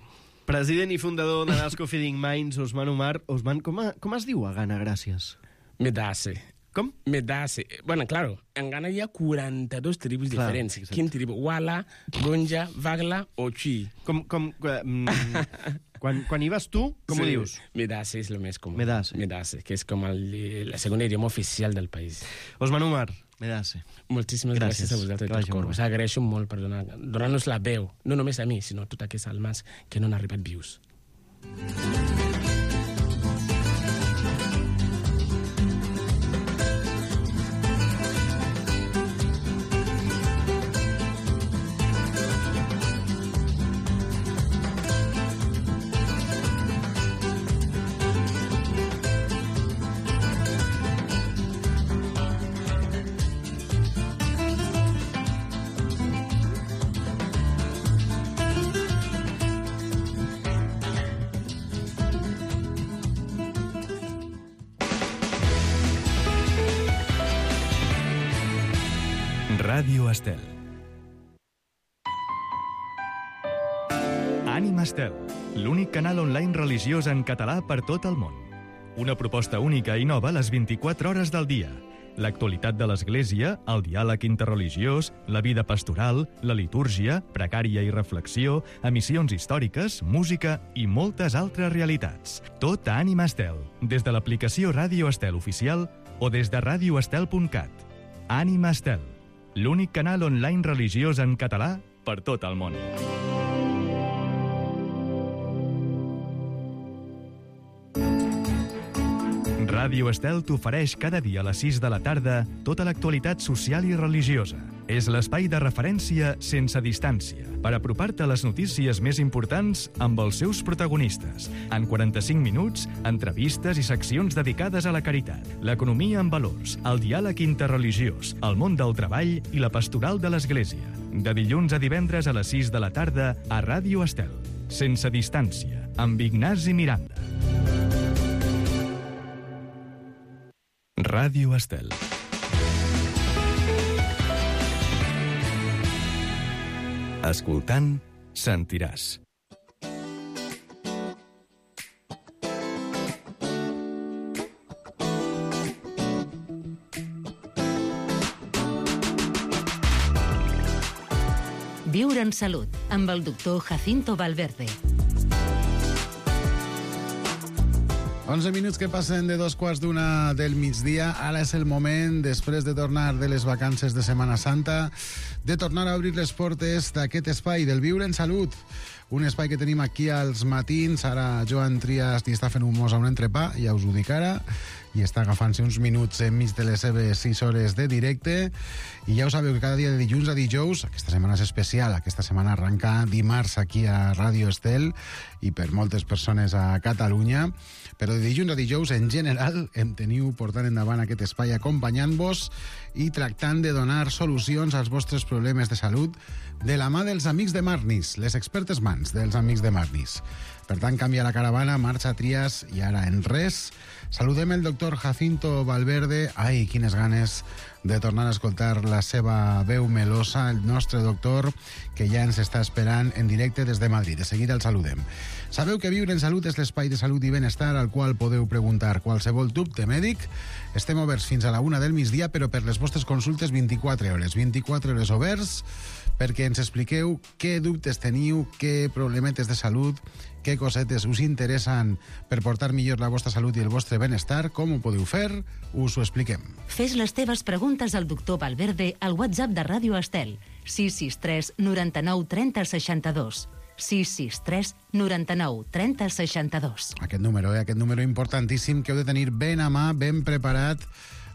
President i fundador de NASCO Feeding Minds, Osman Umar. Osman, com, a, com es diu a Ghana, gràcies? Medase. Com? Medase. Bueno, claro, en Ghana hi ha quaranta-dos tribus Clar, diferents. Exacte. Quin tribu? Wala, Gonja, Vagla o Chi. Com... com mm, Quan, quan hi vas tu, com sí, ho dius? Medase és el més comú. Medase. Medase, que és com el, el segon idioma oficial del país. Osman Umar, Medase. Moltíssimes gràcies, gràcies a vosaltres de tot cor. Us agraeixo molt per donar, donar-nos la veu, no només a mi, sinó a tots aquests almes que no han arribat vius. Ràdio Estel. Ànima Estel, l'únic canal online religiós en català per tot el món. Una proposta única i nova les vint-i-quatre hores del dia. L'actualitat de l'Església, el diàleg interreligiós, la vida pastoral, la litúrgia, precària i reflexió, emissions històriques, música i moltes altres realitats. Tot a Ànima Estel, des de l'aplicació Ràdio Estel oficial o des de ràdio estel punt cat. Ànima Estel, l'únic canal online religiós en català per tot el món. Ràdio Estel t'ofereix cada dia a les sis de la tarda tota l'actualitat social i religiosa. És l'espai de referència sense distància per apropar-te a les notícies més importants amb els seus protagonistes. En quaranta-cinc minuts, entrevistes i seccions dedicades a la caritat, l'economia en valors, el diàleg interreligiós, el món del treball i la pastoral de l'Església. De dilluns a divendres a les sis de la tarda a Ràdio Estel. Sense distància, amb Ignasi Miranda. Ràdio Estel. Escoltant, sentiràs. Viure en salut, amb el doctor Jacinto Valverde. onze minuts que passen de dos quarts d'una del migdia. Ara és el moment, després de tornar de les vacances de Setmana Santa, de tornar a obrir les portes d'aquest espai del Viure en Salut. Un espai que tenim aquí als matins. Ara Joan Trias li està fent un mos a un entrepà, ja us ho dic ara, i està agafant-se uns minuts enmig de les seves sis hores de directe. I ja ho sabeu que cada dia de dilluns a dijous, aquesta setmana és especial, aquesta setmana arranca dimarts aquí a Ràdio Estel i per moltes persones a Catalunya, però de dilluns a dijous en general em teniu portant endavant aquest espai acompanyant-vos i tractant de donar solucions als vostres problemes de salut de la mà dels amics de Marnis, les expertes mans dels amics de Marnis. Per tant, canvia la caravana, marxa Trias i ara en res. Saludem el doctor Jacinto Valverde. Ai, quines ganes de tornar a escoltar la seva veu melosa, el nostre doctor, que ja ens està esperant en directe des de Madrid. De seguida el saludem. Sabeu que Viure en Salut és l'espai de salut i benestar al qual podeu preguntar qualsevol dubte mèdic. Estem oberts fins a la una del migdia, però per les vostres consultes vint-i-quatre hores. vint-i-quatre hores oberts perquè ens expliqueu què dubtes teniu, què problemetes de salut, què cosetes us interessen per portar millor la vostra salut i el vostre benestar. Com ho podeu fer? Us ho expliquem. Fes les teves preguntes al doctor Valverde al WhatsApp de Ràdio Estel, sis sis tres noranta-nou trenta seixanta-dos. sis sis tres noranta-nou trenta seixanta-dos. Aquest número, eh? Aquest número importantíssim que heu de tenir ben a mà, ben preparat,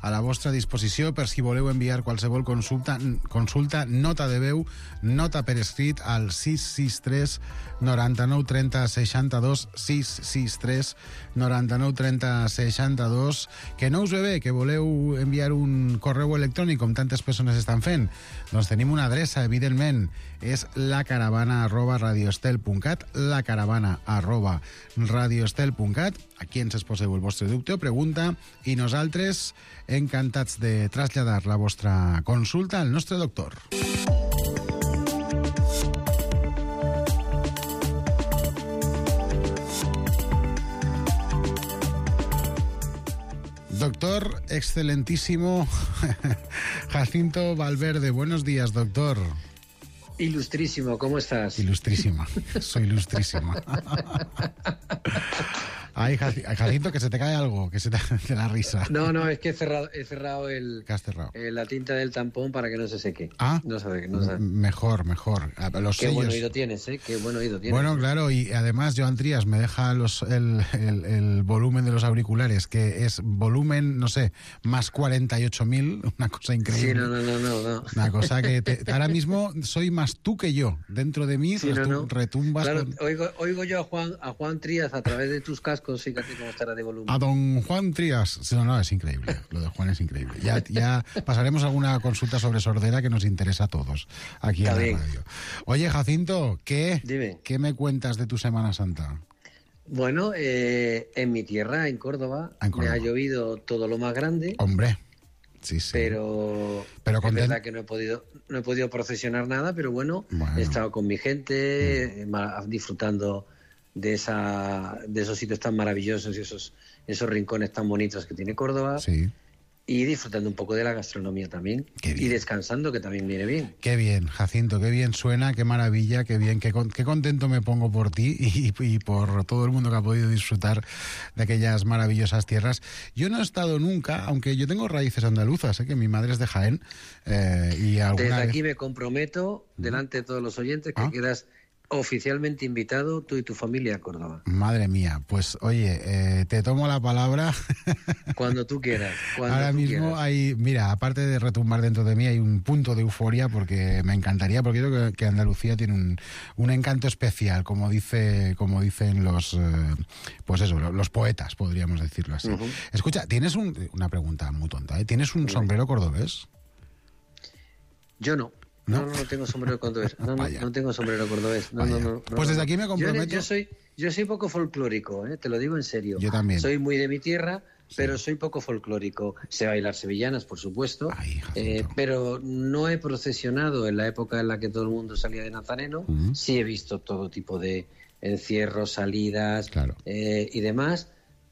a la vostra disposició per si voleu enviar qualsevol consulta, consulta, nota de veu, nota per escrit al sis sis tres noranta-nou trenta seixanta-dos, sis sis tres noranta-nou trenta seixanta-dos. Que no us ve bé, que voleu enviar un correu electrònic com tantes persones estan fent? Doncs tenim una adreça, evidentment, és lacaravana arroba radioestel punt cat, lacaravana arroba radioestel punt cat. Aquí ens exposeu el vostre dubte o pregunta i nosaltres encantats de traslladar la vostra consulta al nostre doctor. Doctor excelentísimo Jacinto Valverde. Buenos días, doctor. Ilustrísimo, ¿cómo estás? Ilustrísima, soy ilustrísima. Ay, Jacinto, que se te cae algo, que se te de la risa. No, no, es que he cerrado, he cerrado, el, ¿Qué has cerrado? Eh, la tinta del tampón para que no se seque. Ah, no sabe, no sabe. Mejor, mejor. Los Qué sellos. buen oído tienes, ¿eh? Qué buen oído tienes. Bueno, claro, y además Joan Trías me deja los, el, el, el volumen de los auriculares, que es volumen, no sé, más cuarenta y ocho mil, una cosa increíble. Sí, no, no, no, no. no. Una cosa que te, ahora mismo soy más tú que yo. Dentro de mí sí, retum, no, no. retumbas. Claro, con... oigo, oigo yo a Juan, a Juan Trías a través de tus cascos, fíjate cómo estará de volumen. A don Juan Trías. No, no, es increíble. Lo de Juan es increíble. Ya, ya pasaremos alguna consulta sobre sordera que nos interesa a todos aquí Está en bien. la radio. Oye, Jacinto, ¿qué, Dime. ¿qué me cuentas de tu Semana Santa? Bueno, eh, en mi tierra, en Córdoba, en Córdoba, me ha llovido todo lo más grande. Hombre, sí, sí. Pero, pero es verdad que no he podido no he podido procesionar nada, pero bueno, bueno. he estado con mi gente, mm. disfrutando de esa de esos sitios tan maravillosos y esos esos rincones tan bonitos que tiene Córdoba. Sí. Y disfrutando un poco de la gastronomía también. Y descansando, que también viene bien. Qué bien, Jacinto, qué bien suena, qué maravilla, qué bien, qué, con, qué contento me pongo por ti y, y por todo el mundo que ha podido disfrutar de aquellas maravillosas tierras. Yo no he estado nunca, aunque yo tengo raíces andaluzas, ¿eh? Que mi madre es de Jaén. Eh, y alguna Desde vez... aquí me comprometo, delante de todos los oyentes, que ¿Ah? quedas oficialmente invitado tú y tu familia a Córdoba. Madre mía, pues oye, eh, te tomo la palabra. Cuando tú quieras. Cuando Ahora tú mismo quieras. hay, mira, aparte de retumbar dentro de mí, hay un punto de euforia porque me encantaría, porque yo creo que, que Andalucía tiene un, un encanto especial, como dice, como dicen los, eh, pues eso, los poetas, podríamos decirlo así. Uh-huh. Escucha, tienes un, una pregunta muy tonta, ¿eh? ¿Tienes un sombrero cordobés? Yo no. ¿No? no, no, no tengo sombrero cordobés. No, no, no tengo sombrero cordobés. No, no, no, no, pues desde aquí me comprometo. Yo, yo soy, yo soy poco folclórico, ¿eh? Te lo digo en serio. Yo también. Soy muy de mi tierra, sí. pero soy poco folclórico. Sé bailar sevillanas, por supuesto, Ay, eh, pero no he procesionado en la época en la que todo el mundo salía de nazareno. Uh-huh. Sí he visto todo tipo de encierros, salidas claro. eh, y demás,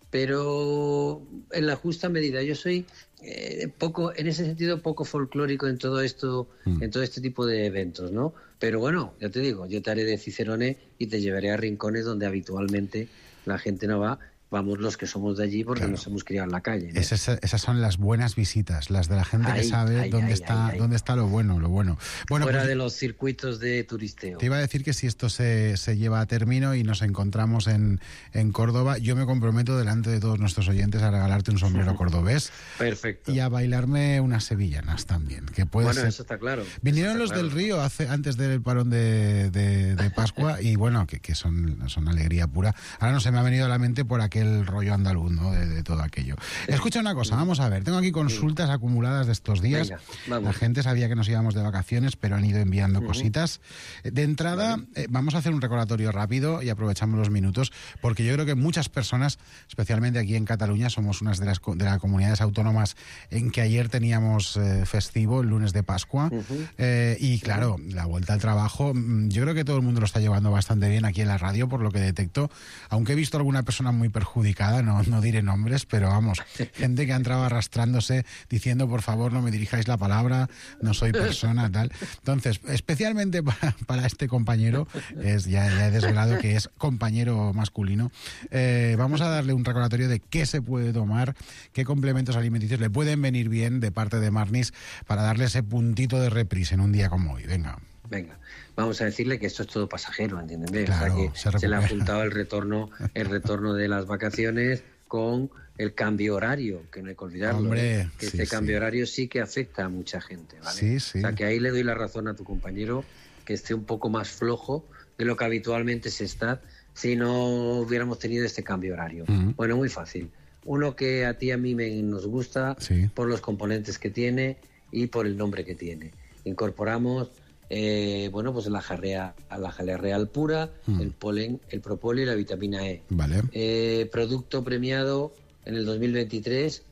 pero en la justa medida. Yo soy eh, poco, en ese sentido, poco folclórico en todo esto, mm. en todo este tipo de eventos, ¿no? Pero bueno, ya te digo, yo te haré de cicerone y te llevaré a rincones donde habitualmente la gente no va. Vamos los que somos de allí porque claro. nos hemos criado en la calle, ¿no? Esas, esas son las buenas visitas, las de la gente ay, que sabe ay, dónde ay, está ay, dónde está lo bueno, lo bueno. bueno Fuera pues, de los circuitos de turisteo. Te iba a decir que si esto se, se lleva a término y nos encontramos en, en Córdoba, yo me comprometo delante de todos nuestros oyentes a regalarte un sombrero cordobés. Perfecto. Y a bailarme unas sevillanas también, que puede bueno, ser... eso está claro. Vinieron está los claro. del Río hace, antes del parón de, de, de Pascua y bueno, que, que son, son alegría pura. Ahora no se me ha venido a la mente por aquel rollo andaluz, ¿no? De, de todo aquello. Sí. Escucha una cosa, vamos a ver, tengo aquí consultas sí. acumuladas de estos días. Venga, vamos. La gente sabía que nos íbamos de vacaciones, pero han ido enviando uh-huh. cositas. De entrada, vale. eh, vamos a hacer un recordatorio rápido y aprovechamos los minutos, porque yo creo que muchas personas, especialmente aquí en Cataluña, somos unas de las, de las comunidades autónomas en que ayer teníamos eh, festivo, el lunes de Pascua, uh-huh. eh, y claro, la vuelta al trabajo, yo creo que todo el mundo lo está llevando bastante bien aquí en la radio, por lo que detecto, aunque he visto alguna persona muy perjudicada, no no diré nombres, pero vamos, gente que ha entrado arrastrándose diciendo, por favor, no me dirijáis la palabra, no soy persona, tal. Entonces, especialmente para, para este compañero, es ya, ya he desvelado que es compañero masculino, eh, vamos a darle un recordatorio de qué se puede tomar, qué complementos alimenticios le pueden venir bien de parte de Marnis para darle ese puntito de reprise en un día como hoy. Venga. Venga, vamos a decirle que esto es todo pasajero, ¿entienden? Claro, o sea, que se, se le ha juntado el retorno, el retorno de las vacaciones con el cambio horario, que no hay que olvidarlo. Hombre, ¿eh? Que sí, este cambio sí. horario sí que afecta a mucha gente, ¿vale? Sí, sí. O sea, que ahí le doy la razón a tu compañero, que esté un poco más flojo de lo que habitualmente se está si no hubiéramos tenido este cambio horario. Uh-huh. Bueno, muy fácil. Uno que a ti y a mí me, nos gusta sí. por los componentes que tiene y por el nombre que tiene. Incorporamos Eh, bueno, pues la jalea, la jalea real pura, mm. el polen, el propóleo y la vitamina E. Vale. Eh, producto premiado en el dos mil veintitrés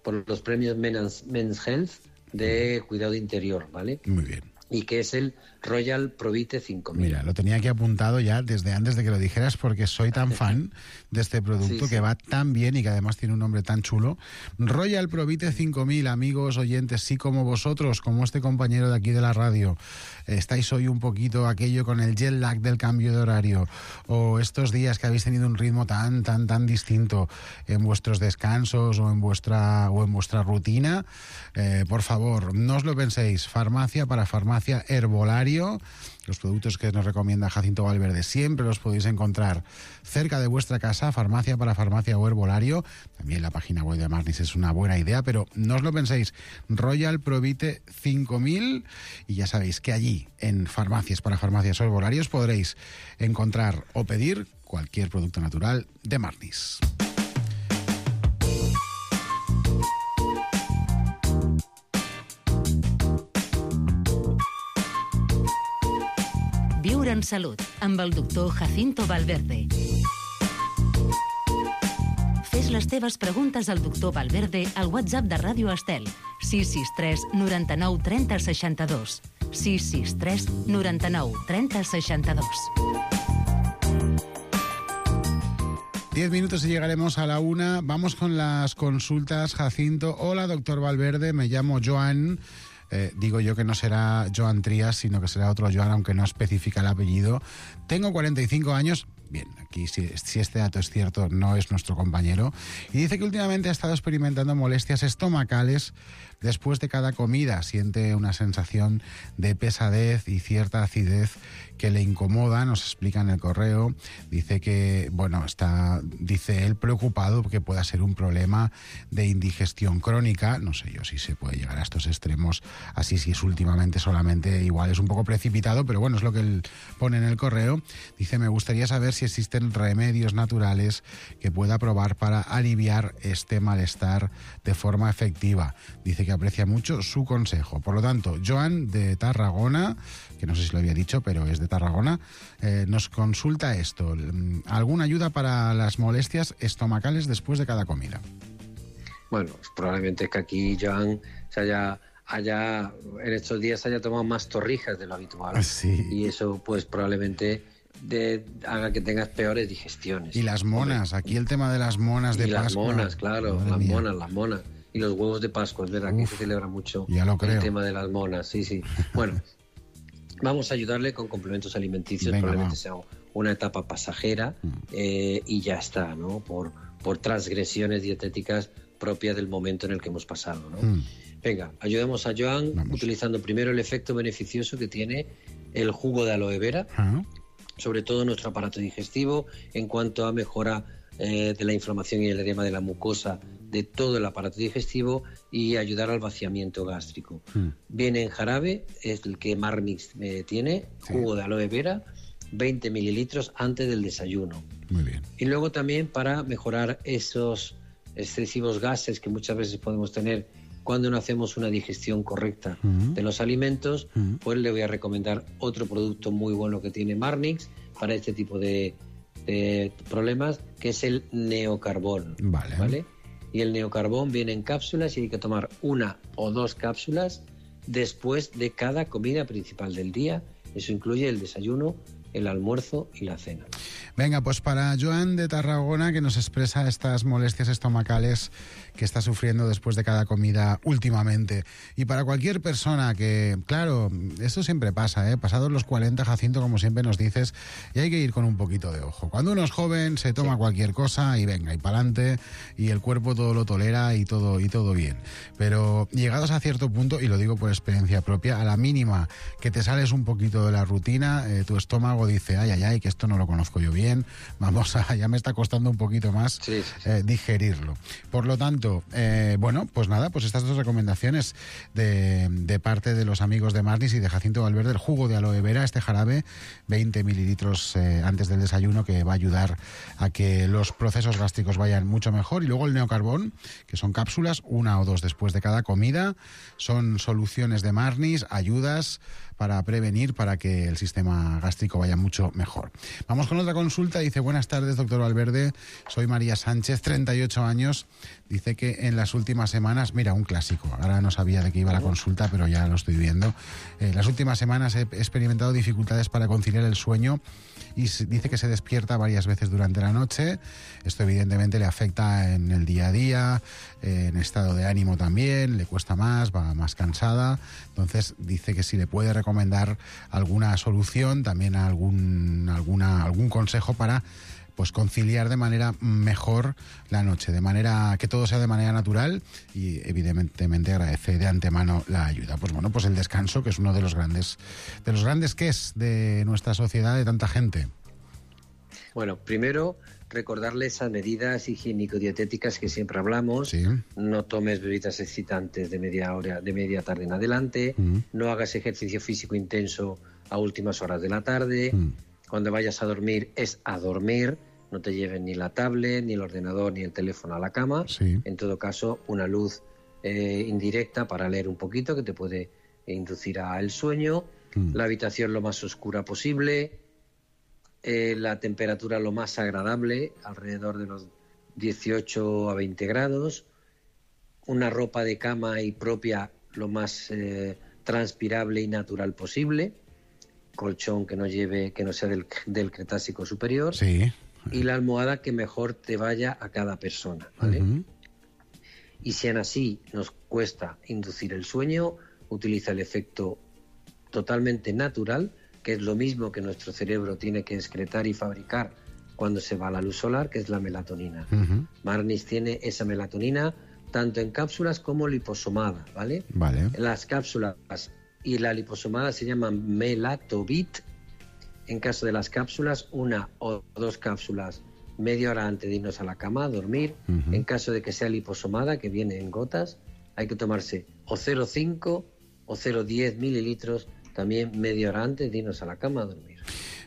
por los premios Men's, Men's Health de cuidado interior, ¿vale? Muy bien. y que es el Royal Provite cinco mil. Mira, lo tenía aquí apuntado ya desde antes de que lo dijeras porque soy tan fan de este producto sí, que sí. va tan bien y que además tiene un nombre tan chulo. Royal Provite cinco mil, amigos oyentes, sí, como vosotros, como este compañero de aquí de la radio, estáis hoy un poquito aquello con el jet lag del cambio de horario, o estos días que habéis tenido un ritmo tan, tan, tan distinto en vuestros descansos o en vuestra, o en vuestra rutina, eh, por favor, no os lo penséis. Farmacia para farmacia Herbolario. Los productos que nos recomienda Jacinto Valverde siempre los podéis encontrar cerca de vuestra casa. Farmacia para farmacia o Herbolario. También la página web de Marnis es una buena idea, pero no os lo penséis. Royal Provite cinco mil, y ya sabéis que allí en farmacias para farmacias o Herbolarios podréis encontrar o pedir cualquier producto natural de Marnis. Viure en salut, amb el doctor Jacinto Valverde. Fes les teves preguntes al doctor Valverde al WhatsApp de Ràdio Estel, sis sis tres noranta-nou trenta seixanta-dos. sis sis tres noranta-nou trenta seixanta-dos. Diez minutos y llegaremos a la una. Vamos con las consultas, Jacinto. Hola, doctor Valverde, me llamo Joan. Eh, digo yo que no será Joan Trías, sino que será otro Joan, aunque no especifica el apellido. Tengo cuarenta y cinco años. Bien, aquí si, si este dato es cierto, no es nuestro compañero. Y dice que últimamente ha estado experimentando molestias estomacales después de cada comida. Siente una sensación de pesadez y cierta acidez que le incomoda, nos explica en el correo. Dice que, bueno, está, dice él, preocupado porque pueda ser un problema de indigestión crónica. No sé yo si se puede llegar a estos extremos así, si es últimamente solamente, igual es un poco precipitado, pero bueno, es lo que él pone en el correo. Dice, me gustaría saber si existen remedios naturales que pueda probar para aliviar este malestar de forma efectiva. Dice que aprecia mucho su consejo. Por lo tanto, Joan de Tarragona, que no sé si lo había dicho, pero es de Tarragona, eh, nos consulta esto. ¿Alguna ayuda para las molestias estomacales después de cada comida? Bueno, probablemente es que aquí Joan se haya, haya en estos días haya tomado más torrijas de lo habitual. Sí. Y eso pues probablemente de, haga que tengas peores digestiones. Y las monas, aquí el tema de las monas de y Pascua. Las monas, claro, Madre las mía. monas, las monas. Y los huevos de Pascua, es verdad, Uf, que se celebra mucho ya lo creo. El tema de las monas, sí, sí. Bueno, vamos a ayudarle con complementos alimenticios. Venga, probablemente va. sea una etapa pasajera mm. eh, y ya está, ¿no? Por, por transgresiones dietéticas propias del momento en el que hemos pasado, ¿no? Mm. Venga, ayudemos a Joan vamos. utilizando primero el efecto beneficioso que tiene el jugo de aloe vera, ¿Ah? sobre todo en nuestro aparato digestivo, en cuanto a mejora eh, de la inflamación y el edema de la mucosa de todo el aparato digestivo y ayudar al vaciamiento gástrico. Mm. Viene en jarabe, es el que Marnix eh, tiene, sí. jugo de aloe vera, veinte mililitros antes del desayuno. Muy bien. Y luego también para mejorar esos excesivos gases que muchas veces podemos tener cuando no hacemos una digestión correcta mm. de los alimentos, mm. pues le voy a recomendar otro producto muy bueno que tiene Marnix para este tipo de, de problemas, que es el Neocarbón. Vale. ¿Vale? Y el Neocarbón viene en cápsulas y hay que tomar una o dos cápsulas después de cada comida principal del día. Eso incluye el desayuno, el almuerzo y la cena. Venga, pues para Joan de Tarragona, que nos expresa estas molestias estomacales que está sufriendo después de cada comida últimamente. Y para cualquier persona que, claro, esto siempre pasa, ¿eh? Pasados los cuarenta, Jacinto, como siempre nos dices, y hay que ir con un poquito de ojo. Cuando uno es joven, se toma sí. cualquier cosa y venga, y pa'lante, y el cuerpo todo lo tolera y todo, y todo bien. Pero llegados a cierto punto, y lo digo por experiencia propia, a la mínima que te sales un poquito de la rutina, eh, tu estómago dice, ay, ay, ay, que esto no lo conozco yo bien, vamos a, ya me está costando un poquito más sí, sí, sí. Eh, digerirlo. Por lo tanto, eh, bueno, pues nada, pues estas dos recomendaciones de, de parte de los amigos de Marnis y de Jacinto Valverde, el jugo de aloe vera, este jarabe, veinte mililitros eh, antes del desayuno, que va a ayudar a que los procesos gástricos vayan mucho mejor. Y luego el Neocarbón, que son cápsulas, una o dos después de cada comida, son soluciones de Marnis, ayudas para prevenir, para que el sistema gástrico vaya mucho mejor. Vamos con otra consulta. consulta, dice, buenas tardes, doctor Valverde, soy María Sánchez, treinta y ocho años, dice que en las últimas semanas, mira, un clásico, ahora no sabía de qué iba la consulta, pero ya lo estoy viendo, en las últimas semanas he experimentado dificultades para conciliar el sueño y dice que se despierta varias veces durante la noche. Esto evidentemente le afecta en el día a día, en estado de ánimo también, le cuesta más, va más cansada. Entonces dice que si le puede recomendar alguna solución, también algún, alguna, algún consejo para pues conciliar de manera mejor la noche, de manera que todo sea de manera natural, y evidentemente agradece de antemano la ayuda. Pues bueno, pues el descanso, que es uno de los grandes, de los grandes que es de nuestra sociedad, de tanta gente. Bueno, primero recordarle esas medidas higiénico-dietéticas que siempre hablamos. Sí. No tomes bebidas excitantes de media hora, de media tarde en adelante. Mm. No hagas ejercicio físico intenso a últimas horas de la tarde. Mm. Cuando vayas a dormir es a dormir. No te lleven ni la tablet, ni el ordenador, ni el teléfono a la cama. Sí. En todo caso, una luz eh, indirecta para leer un poquito, que te puede inducir al sueño. Mm. La habitación lo más oscura posible. Eh, la temperatura lo más agradable, alrededor de los dieciocho a veinte grados. Una ropa de cama y propia lo más eh, transpirable y natural posible. Colchón que no lleve, que no sea del, del Cretácico superior. Sí. Y la almohada que mejor te vaya a cada persona, ¿vale? Uh-huh. Y si aún así nos cuesta inducir el sueño, utiliza el efecto totalmente natural, que es lo mismo que nuestro cerebro tiene que excretar y fabricar cuando se va la luz solar, que es la melatonina. Uh-huh. Marnis tiene esa melatonina tanto en cápsulas como liposomada, ¿vale? Vale. Las cápsulas y la liposomada se llaman Melatovit. En caso de las cápsulas, una o dos cápsulas media hora antes de irnos a la cama a dormir. Uh-huh. En caso de que sea liposomada, que viene en gotas, hay que tomarse o cero coma cinco o cero coma diez mililitros también media hora antes de irnos a la cama a dormir.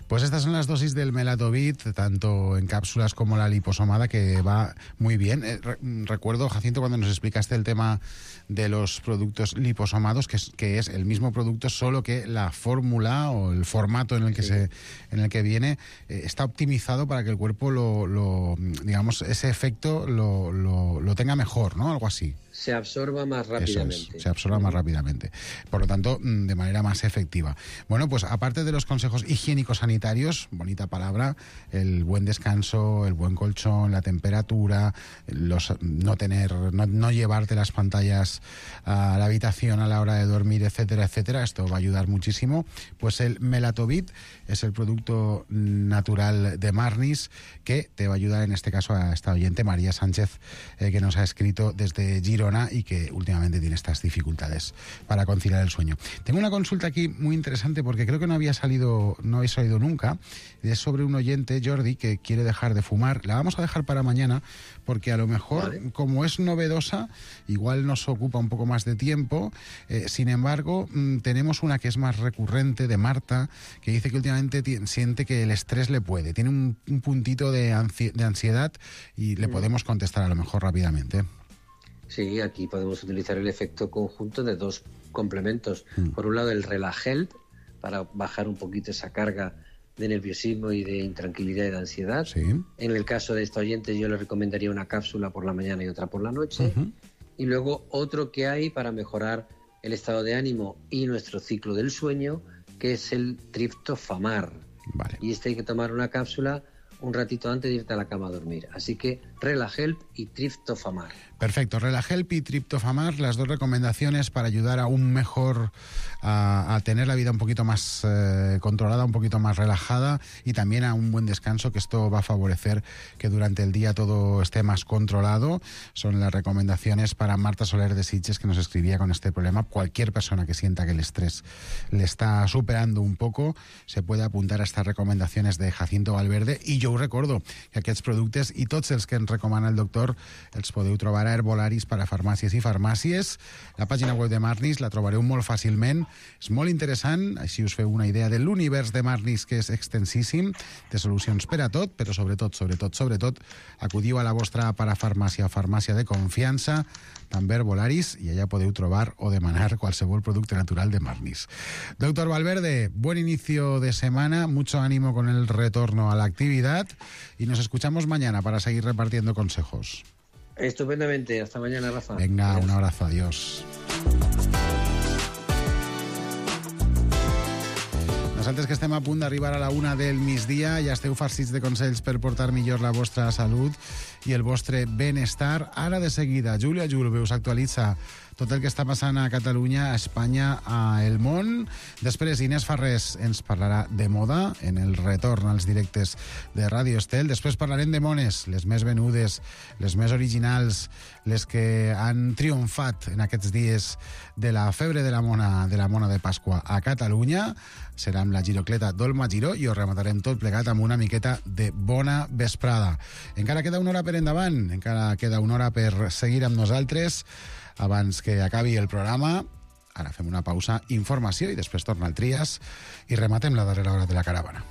Pues estas son las dosis del Melatovit, tanto en cápsulas como la liposomada, que va muy bien. Eh, re- recuerdo, Jacinto, cuando nos explicaste el tema de los productos liposomados, que es, que es el mismo producto, solo que la fórmula o el formato en el que, sí. se, en el que viene eh, está optimizado para que el cuerpo, lo, lo digamos, ese efecto lo, lo, lo tenga mejor, ¿no? Algo así. Se absorba más rápidamente. Eso es, se absorba más rápidamente. Por lo tanto, de manera más efectiva. Bueno, pues aparte de los consejos higiénicos sanitarios, bonita palabra, el buen descanso, el buen colchón, la temperatura, los, no tener, no, no llevarte las pantallas a la habitación a la hora de dormir, etcétera, etcétera, esto va a ayudar muchísimo. Pues el Melatovit es el producto natural de Marnis que te va a ayudar, en este caso, a esta oyente, María Sánchez, eh, que nos ha escrito desde Girona y que últimamente tiene estas dificultades para conciliar el sueño. Tengo una consulta aquí muy interesante porque creo que no había salido, no habéis salido nunca. Es sobre un oyente, Jordi, que quiere dejar de fumar. La vamos a dejar para mañana porque a lo mejor, vale, como es novedosa, igual nos ocupa un poco más de tiempo. Eh, sin embargo, mmm, tenemos una que es más recurrente, de Marta, que dice que últimamente t- siente que el estrés le puede. Tiene un, un puntito de, ansi- de ansiedad y le mm. podemos contestar a lo mejor rápidamente. Sí, aquí podemos utilizar el efecto conjunto de dos complementos. Mm. Por un lado, el Relahelp, para bajar un poquito esa carga de nerviosismo y de intranquilidad y de ansiedad. Sí. En el caso de esta oyente, yo le recomendaría una cápsula por la mañana y otra por la noche. Uh-huh. Y luego otro que hay para mejorar el estado de ánimo y nuestro ciclo del sueño, que es el triptofamar. Vale. Y este hay que tomar una cápsula un ratito antes de irte a la cama a dormir. Así que Relahelp y triptofamar. Perfecto, Relahelp y triptofamar, las dos recomendaciones para ayudar aún mejor a, a tener la vida un poquito más eh, controlada, un poquito más relajada, y también a un buen descanso, que esto va a favorecer que durante el día todo esté más controlado. Son las recomendaciones para Marta Soler de Sitges, que nos escribía con este problema. Cualquier persona que sienta que el estrés le está superando un poco se puede apuntar a estas recomendaciones de Jacinto Valverde. I jo us recordo que aquests productes i tots els que ens recomana el doctor els podeu trobar a Herbolaris per a farmàcies i farmàcies. La pàgina web de Marnis la trobareu molt fàcilment. És molt interessant, així us feu una idea de l'univers de Marnis, que és extensíssim, de solucions per a tot, però sobretot, sobretot, sobretot, acudiu a la vostra parafarmàcia o farmàcia de confiança, també Herbolaris, i allà podeu trobar o demanar qualsevol producte natural de Marnis. Doctor Valverde, buen inicio de semana, mucho ánimo con el retorno a la actividad. chat y nos escuchamos mañana para seguir repartiendo consejos. Estupendamente. Hasta mañana, Rafa. Venga, un abrazo. Adiós. Nosaltres que estem a punt d'arribar a la una del migdia, ja esteu farcits de consells per portar millor la vostra salut i el vostre benestar. Ara de seguida, Júlia Julve us actualitza tot el que està passant a Catalunya, a Espanya, a el món. Després, Inés Farrés ens parlarà de moda en el retorn als directes de Ràdio Estel. Després parlarem de mones, les més venudes, les més originals, les que han triomfat en aquests dies de la febre de la mona de la mona de Pasqua a Catalunya. Serà amb la girocleta d'Olma Giró i ho rematarem tot plegat amb una miqueta de bona vesprada. Encara queda una hora per endavant, encara queda una hora per seguir amb nosaltres abans que acabi el programa. Ara fem una pausa, informació, i després torna el Trias i rematem la darrera hora de la caravana.